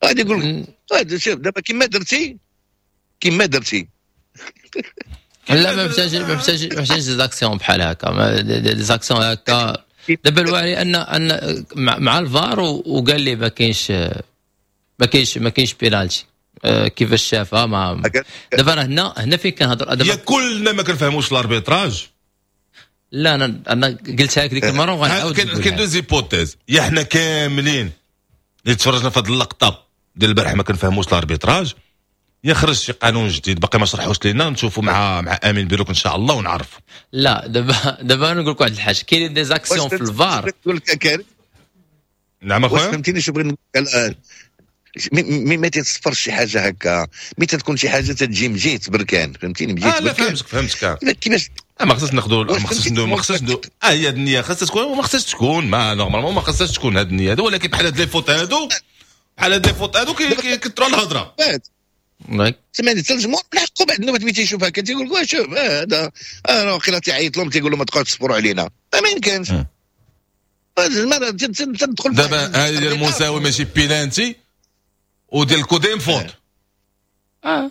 غادي يقول لك شوف دابا كيما درتي كيما درتي. لا ما محتاج ما محتاج ما محتاج des actions بحال هكا، des actions هكا. دابا الوالي ان ان مع الفار وقال لي ما كاينش ما كاينش ما كاينش بينالتي، كيفاش شافها ما دابا راه هنا هنا فين كنهضر دابا كلنا ما كنفهموش ال arbitrage. لا انا انا قلتها لك ديك المرة وغنعاود. كاين deux hypothèses، يا حنا كاملين اللي تفرجنا في هذه اللقطة ديال البارح ما كنفهموش ال arbitrage، يا خرج شي قانون جديد باقي ما شرحوش لينا، نشوفوا مع مع امين بيروك ان شاء الله ونعرفوا. لا دابا دابا انا نقول لك واحد الحاجة، كاينين des actions في الفار. نعم اخويا فهمتيني شو بغيت نقول؟ mais ما تتصفرش شي حاجة هكا، mais تتكون شي حاجة تتجي من جهة بركان، فهمتيني؟ من جهة آه لا فهمتك فهمتك كيفاش ما خصناش ناخذوا، ما خصناش ما خصناش اه هي هاد النية خصها تكون وما خصهاش تكون، ما normalement ما خصهاش تكون هاد النية هادو، ولكن بحال هاد les fautes هادو بحال هاد les fautes هادو كيكثروا الهضرة. سمعني حتى الجمهور لحقوا بعد النوبة ملي تيشوف هكا تيقول لك شوف هذا انا واقيلا تيعيط لهم تيقول لهم ما تبقاوش تصبروا علينا، ما يمكنش. تدخل دابا هذه ديال المساوي ماشي بيلانتي وديال الكوديم faute. اه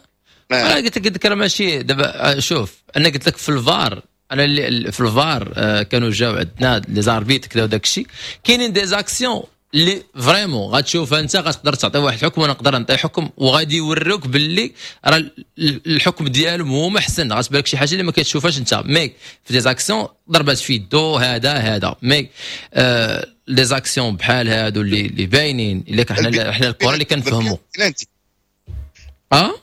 انا قلت لك راه ماشي دابا. شوف انا قلت لك في الفار، انا اللي في الفار آه كانوا جاو عندنا les arbitres كذا وداك الشيء، كاينين des actions اللي vraiment غتشوفها انت غتقدر تعطي واحد الحكم وانا نقدر نعطي حكم، وغادي يوروك باللي راه الحكم ديالهم هو احسن، غتبان لك شي حاجة اللي ما كتشوفهاش انت. mais في des actions ضربات في يدو هذا هذا mais آه les actions بحال هادو اللي اللي باينين اللي حنا حنا الكره اللي كنفهموا. اه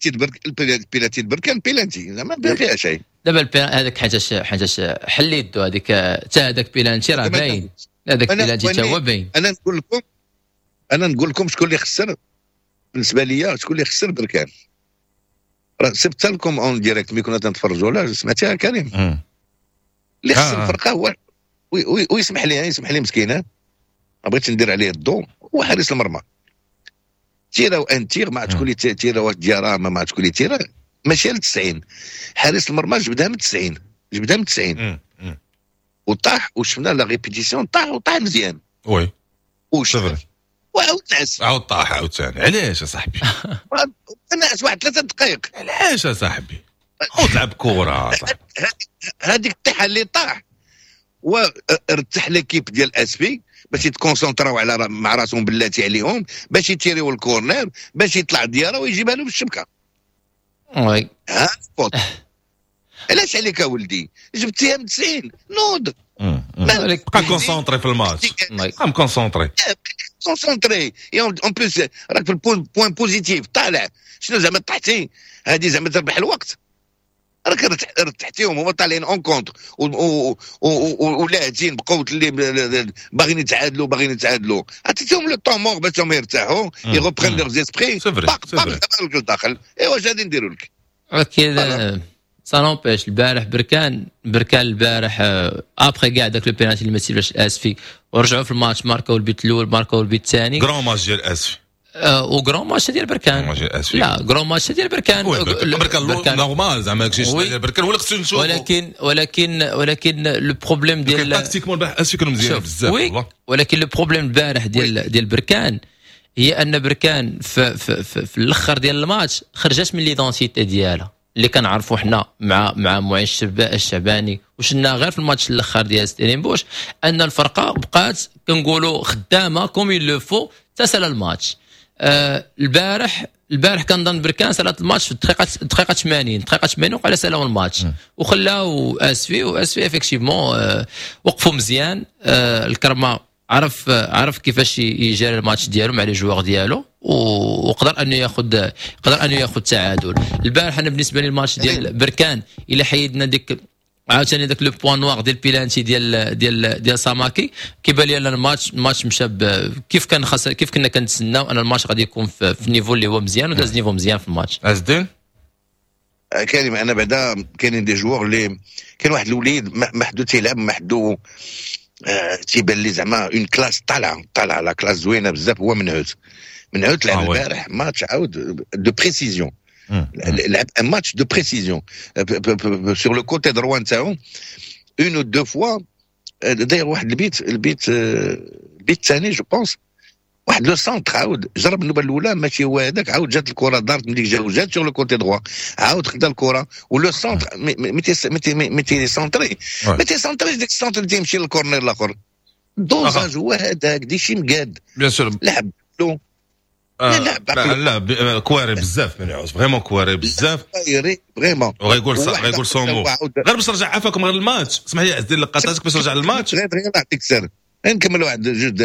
البيلانتي بركان بيلانتي زعما ما فيها شيء. دابا هذاك حاجة حاجة حل يدو هذيك حتى هذاك بيلانتي راه باين، هذاك بيلانتي حتى هو باين. انا نقول لكم انا نقول لكم شكون اللي خسر بالنسبة ليا، شكون اللي خسر بركان. راه سبت لكم en direct ملي كنا تنتفرجوا، لا سمعتيها كريم؟ اللي خسر الفرقة هو ويسمح لي يسمح لي مسكين، ما بغيتش ندير عليه الضوء، هو حارس المرمى. تيرا un tir ما تكون تيرا واش ديارا ما تكون تيرا ماشي ل تسعين، حارس المرمى جبدها من تسعين، جبدها من تسعين وطاح، وشفنا la répétition، طاح وطاح مزيان. oui وشوف وعاود نعس، عاود طاح عاوتاني. علاش اصاحبي؟ نعس واحد ثلاثة دقائق. علاش اصاحبي؟ عاود لعب كره. هذيك الطيحه اللي طاح وارتاح l'équipe ديال اسفي باش يتكونسونطراو على مع راسهم بلاتي عليهم باش يتيريو ال corner باش يطلع ديارة ويجيبها له بالشبكه. oui ها faute. علاش عليك ولدي؟ جبتيها من تسعين، نوض بقى concentré في الماتش، بقى concentré concentré. en plus راك في ال point positif طالع، شنو زعما طحتي هذه زعما تربح الوقت، راك رتحتيهم هما طالعين en contre ولاعبين بقوة اللي باغيين يتعادلوا باغيين يتعادلوا، عطيتهم le temps mort باش هما يرتاحوا ils reprennent leurs esprits، باق باق لك الداخل. ايوا واش غادي نديروا لك؟ ولكن ça n'empêche البارح بركان بركان البارح après كاع داك le penalty اللي ما تسيبش الاسفي ورجعوا في الماتش، ماركاو البيت الاول، ماركاو البيت الثاني. grand match ديال اسفي و grand match ديال بركان. لا grand match ديال بركان. بركان normal زعما داكشي ديال بركان ولا خصو نشوفو، ولكن ولكن ولكن le problème ديال tactiquement البارح اسفي كانوا مزيان بزاف والله. ولكن le problème البارح ديال ديال بركان هي ان بركان في, في, في, في الاخر ديال الماتش خرجت من l'identité ديالها اللي كنعرفوا حنا مع مع معين الشعباني، وشنا غير في الماتش الاخر ديال ستيلينبوش ان الفرقة بقات كنقولوا خدامه comme il le faut تسال الماتش. آه البارح البارح كنظن بركان سالت الماتش في الدقيقة الدقيقة ثمانين، الدقيقة ثمانين وقع سالاو الماتش وخلاو اسفي، واسفي effectivement آه وقفوا مزيان. آه الكرمة عرف عرف كيفاش يجري الماتش ديالو مع les joueurs ديالو وقدر انه ياخذ قدر انه ياخذ تعادل. البارح انا بالنسبة لي الماتش ديال بركان الا حيدنا ديك عاوتاني داك le point noir ديال بيلانتي ديال ديال ديال ساماكي، كيبان لي ان الماتش الماتش مشى كيف كان خاص، كيف كنا كنتسناو ان الماتش غادي يكون في, في niveau اللي هو مزيان، وداز niveau مزيان في الماتش. عز الدين كريم، انا بعدا كاينين des joueurs اللي كاين واحد الوليد محدو تيلعب محدو آه تيبان لي زعما une classe طالعه طالعه la classe زوينة بزاف، هو منعوت منعوت لعب البارح ماتش عاود de précision، لعب un match de précision sur le côté droit نتاعو une ou deux fois داير واحد البيت البيت البيت الثاني je pense، واحد le centre عاود جرب النوبة الاولى ماشي هو هذاك، عاود جات الكره دارت من ديك جات sur le côté droit، عاود خدا الكره و le centre متي متي centrer متي centrer ديك ال centre اللي تيمشي لل corner الاخر، dosage هو هذاك ديشي مقاد bien sûr لعب له. لا لا لا كواري بزاف من عوز vraiment كواري بزاف vraiment. وغيقول غيقول son mot. غير باش نرجع عافاكم غير الماتش، اسمح لي عز الدين لقطاتك باش نرجع للماتش. غير غير نعطيك سر نكمل واحد جوج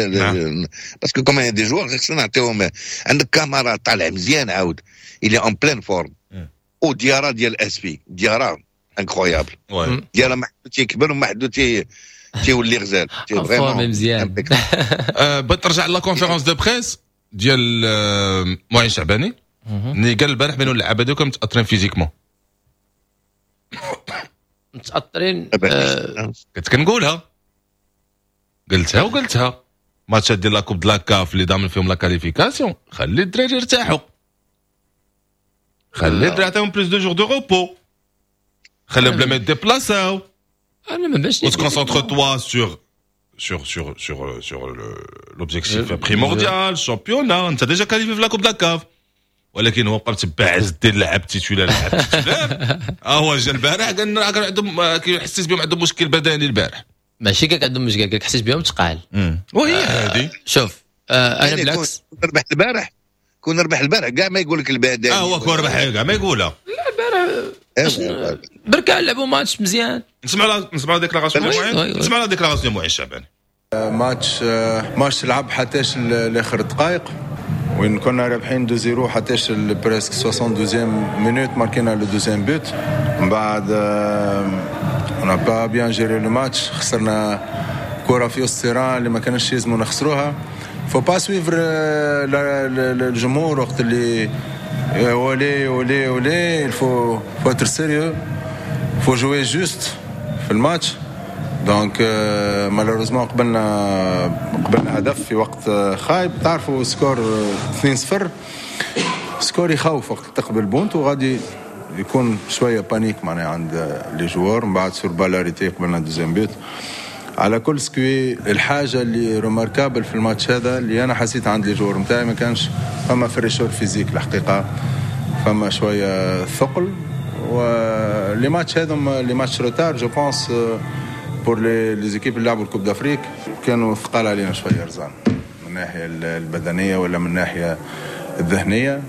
parce que comme des joueurs خصنا نعطيهم. عندك كاميرا طالع مزيان عاود il est en pleine forme، وديارا ديال اسفي ديارا incroyable، ديارا ما حدو تيكبر وما حدو تي تيولي غزال. vraiment مزيان. بغيت نرجع la conférence de presse ديال معين شعباني اللي قال البارح بانوا اللعابه ديالكم متاثرين physiquement. متاثرين. كنت كنقولها قلتها وقلتها ماتشات ديال la coupe de la CAF اللي ضامن فيهم la qualification، خلي الدراري يرتاحوا، خلي الدراري عطيهم plus de jours de repos، خليهم بلا ما يديبلاساو. انا ما باش concentre-toi sur sur sur sur sur l'objectif primordial، championnat، انت déjà qualifié في la coupe de la CAF. ولكن هو بقى متبع عز الدين لعب titulaire لعب titulaire. اه هو جا البارح قال لنا كان عندهم كيحسس بهم عندهم مشكل بدني البارح. ماشي كاع عندهم مشكل، قال حسيت بهم ثقال. وهي هذه شوف آه انا بالعكس ربح البارح، كون ربح البارح كاع ما يقول لك البدني. اه هو كون ربح كاع ما يقولها. لا البارح بركان لعبوا ماتش مزيان. نسمعوا نسمعوا déclaration معين، نسمعوا déclaration معين الشعباني. ماتش ماتش لعب حتىش لاخر دقائق وين كنا رابحين deux zéro حتىش presque soixante-deuxième minute ماركينا le deuxième but. من بعد on n'a pas bien géré le match، خسرنا كرة في وسط ال terrain اللي ما كانش يلزموا نخسروها. faut pas suivre الجمهور وقت اللي ولي ولي ولي il faut faut être sérieux، faut jouer juste في الماتش. donc malheureusement قبلنا قبلنا هدف في وقت خايب. تعرفوا score اثنين صفر score يخوف وقت تقبل but وغادي يكون شوية panique معناها عند les joueurs. من بعد sur balle arrêtée قبلنا deuxième but. على كل ce qui الحاجة اللي remarquable في الماتش هذا اللي انا حسيت عند les joueurs نتاعي ما كانش فما fraîcheur physique الحقيقة، فما شوية ثقل. و les matchs هذم les matchs retard je pense pour les les équipes اللي لعبوا ال Coupe d'Afrique كانوا ثقال علينا شوية رزان من الناحية البدنية ولا من الناحية الذهنية.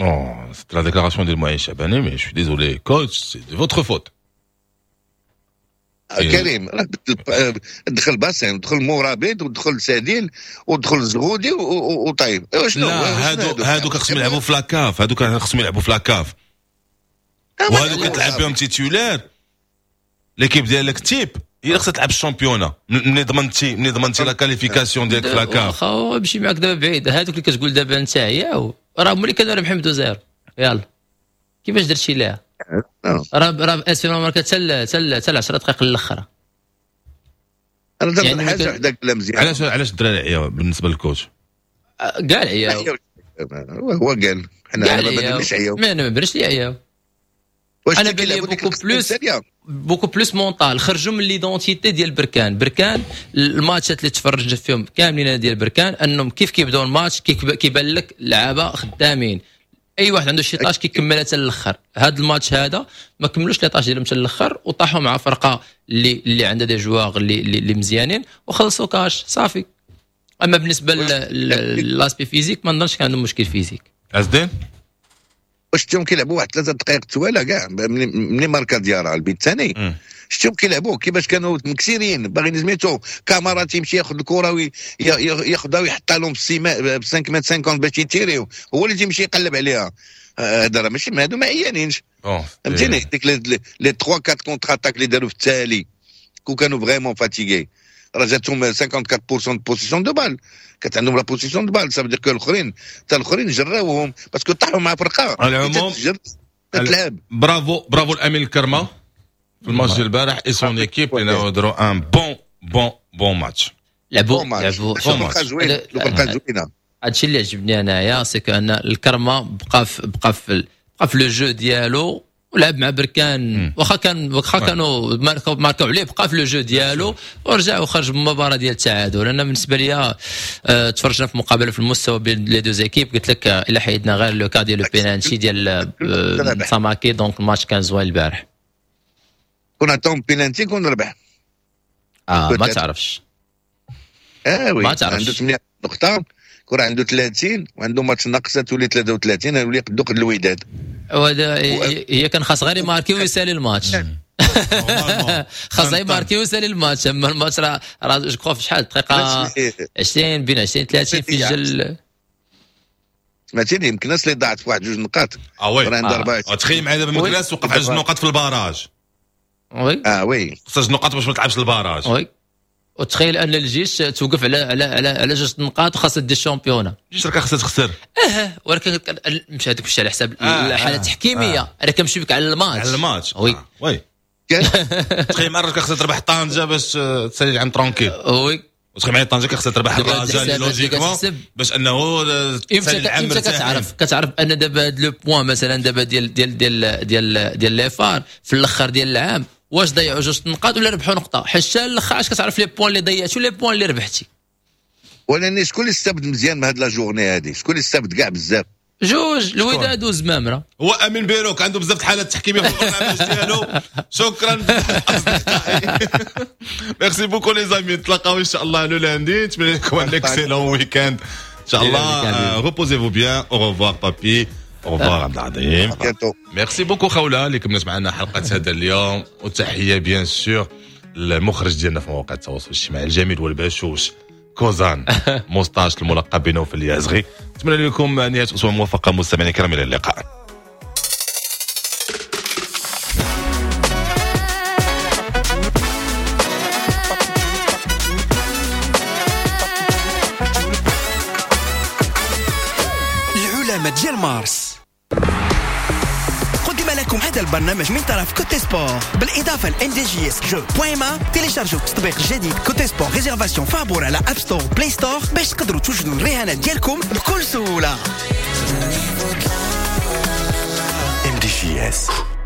Non, c'est la déclaration de Moïse Chabani, mais je suis désolé, coach, c'est de votre faute. كريم دخل باسين، دخل مورابيد، ودخل ساديل، ودخل زغودي وطيب. شنو لا هادو هادو خصهم يلعبوا في la CAF، هادو خصهم يلعبوا في la CAF، وهادو كتلعب بهم titulaires. l'équipe ديالك type هي اللي خصها تلعب ال championnat. ملي ضمنتي ملي ضمنتي la qualification ديالك في la CAF. واخا مشي معاك دابا بعيد، هادوك اللي كتقول دابا انت عياو راه هما اللي كانوا رابحين ب deux zéro. يلا كيفاش درتي ليها؟ راه راه اسفل ماركا حتى حتى حتى عشر دقائق الاخرى. انا درت يعني حاجة وحده كلها مزيان. علاش علاش الدراري عياو بالنسبة لل coach؟ كاع عياو. هو قال حنا ما بانليش عياو. ما انا ما بانش لي عياو. انا بان لي beaucoup plus beaucoup plus mental. خرجوا من l'identité ديال بركان. بركان الماتشات اللي تفرجت فيهم كاملين ديال بركان انهم كيف كيبداو الماتش كيبان لك اللعابه خدامين، اي واحد عنده شي tâche كيكملها حتى الاخر. هذا الماتش هذا ما كملوش les tâches ديالهم حتى الاخر وطاحوا مع فرقه اللي اللي عندها des joueurs اللي اللي مزيانين وخلصوا كاش صافي. اما بالنسبة l'aspect physique ما نظنش كان عندهم مشكل physique. عزدين واش شفتهم كيلعبوا واحد ثلاثة دقائق توالى كاع ملي ماركا ديارة البيت الثاني، شفتهم كيلعبوا كيفاش كانوا مكسيرين باغيين سميتو كاميرا تيمشي ياخذ الكره وياخذها ويحطها لهم في ب خمسة متر خمسين باش يتيريو، هو اللي تيمشي يقلب عليها. هذا راه ماشي هادو ما عيانينش، فهمتيني؟ ديك les ثلاثة أربعة contre-attaques اللي داروا في التالي كون كانوا vraiment fatigués راه جاتهم أربعة وخمسين بالمية possession de balle، كانت عندهم la possession de balle، ça veut dire que الاخرين حتى الاخرين جراوهم parce que طاحوا مع فرقه. على العموم تلعب. bravo bravo الامين الكرمة في الماتش ديال البارح et son équipe اللي داروا un bon bon bon match. لعبوا لعبوا فرقه زوينة، فرقه زوينة. هادشي اللي عجبني انايا c'est que ان الكرمة بقى في بقى في بقى في le jeu ديالو ولعب مع بركان، واخا كان واخا كانوا ماركاو عليه بقى في le jeu ديالو ورجع وخرج بالمباراة ديال التعادل. انا بالنسبة ليا اه تفرجنا في مقابله في المستوى بين les deux équipes، قلت لك الا حيدنا غير le cas ديال le penalty ديال ساماكي donc الماتش كان زوين البارح. كون عطاهم بينالتي كون ربح. اه ما تعرفش. اه oui ما تعرفش. عنده ثمانية نقطة، كون عنده ثلاثين وعنده ماتش ناقصه تولي ثلاثة وثلاثين يولي قدو قد الوداد. وهذا هي كان خاص غير يماركي ويسالي الماتش. خاص غير يماركي ويسالي الماتش. اما الماتش راه راه je crois في شحال دقيقة عشرين بين عشرين ثلاثين في الجل. سمعتيني يمكن الناس اللي ضاعت في واحد جوج نقاط. اه oui تخيل معايا دابا مكناس وقف على جوج نقاط في ال barrage. oui اه oui خصها جوج نقاط باش ما تلعبش ال barrage. oui وتخيل ان الجيش توقف على على على على جوج نقاط وخاصها دير ال championnat. الجيش راه خاصها تخسر. اه ولكن مش هذوك مشي على حساب آه الحالة التحكيميه. آه. انا كنمشي بك على الماتش. على الماتش oui آه. oui تخيل معايا خاصها تربح طنجه باش تسالي العام tranquille. oui وتخيل معايا طنجه خاصها تربح الرجاء logiquement باش انه تسالي العام. امتى كتعرف كتعرف ان دابا هاد le point مثلا دابا ديال ديال ديال ديال ديال les FAR في الاخر ديال العام واش ضيعوا جوج نقاط ولا ربحوا نقطة، حيت حتى الاخر علاش كتعرف les points اللي ضيعتي و les points اللي ربحتي. ولكن شكون اللي استفد مزيان من هاد la journée هادي؟ شكون اللي استفد كاع بزاف؟ جوج الوداد وزمامره. هو امين بيروك عنده بزاف الحالات التحكيميه في البرنامج ديالو. شكرا اصدقائي. merci beaucoup les amis، نتلاقاو ان شاء الله le lundi. نتمنى لكم un excellent week-end ان شاء الله. reposez-vous bien. au revoir بابي. au revoir عبد العظيم. merci beaucoup خوله اللي كملت معنا حلقة هذا اليوم، وتحية bien sûr للمخرج ديالنا في مواقع التواصل الاجتماعي الجميل والبشوش كوزان موستاش الملقب بنوفل اليازغي. نتمنى لكم نهاية اسبوع موفقة مستمعينا الكرام، الى اللقاء. العلامة ديال مارس. قدم لكم هذا البرنامج من طرف Cote Sport بالاضافة ل MDJS jeux point ma. تيليشارجوا التطبيق الجديد Cote Sport réservation فابور على App Store Play Store باش تقدروا توجدوا الرهانات ديالكم بكل سهولة. ام دي MDJS.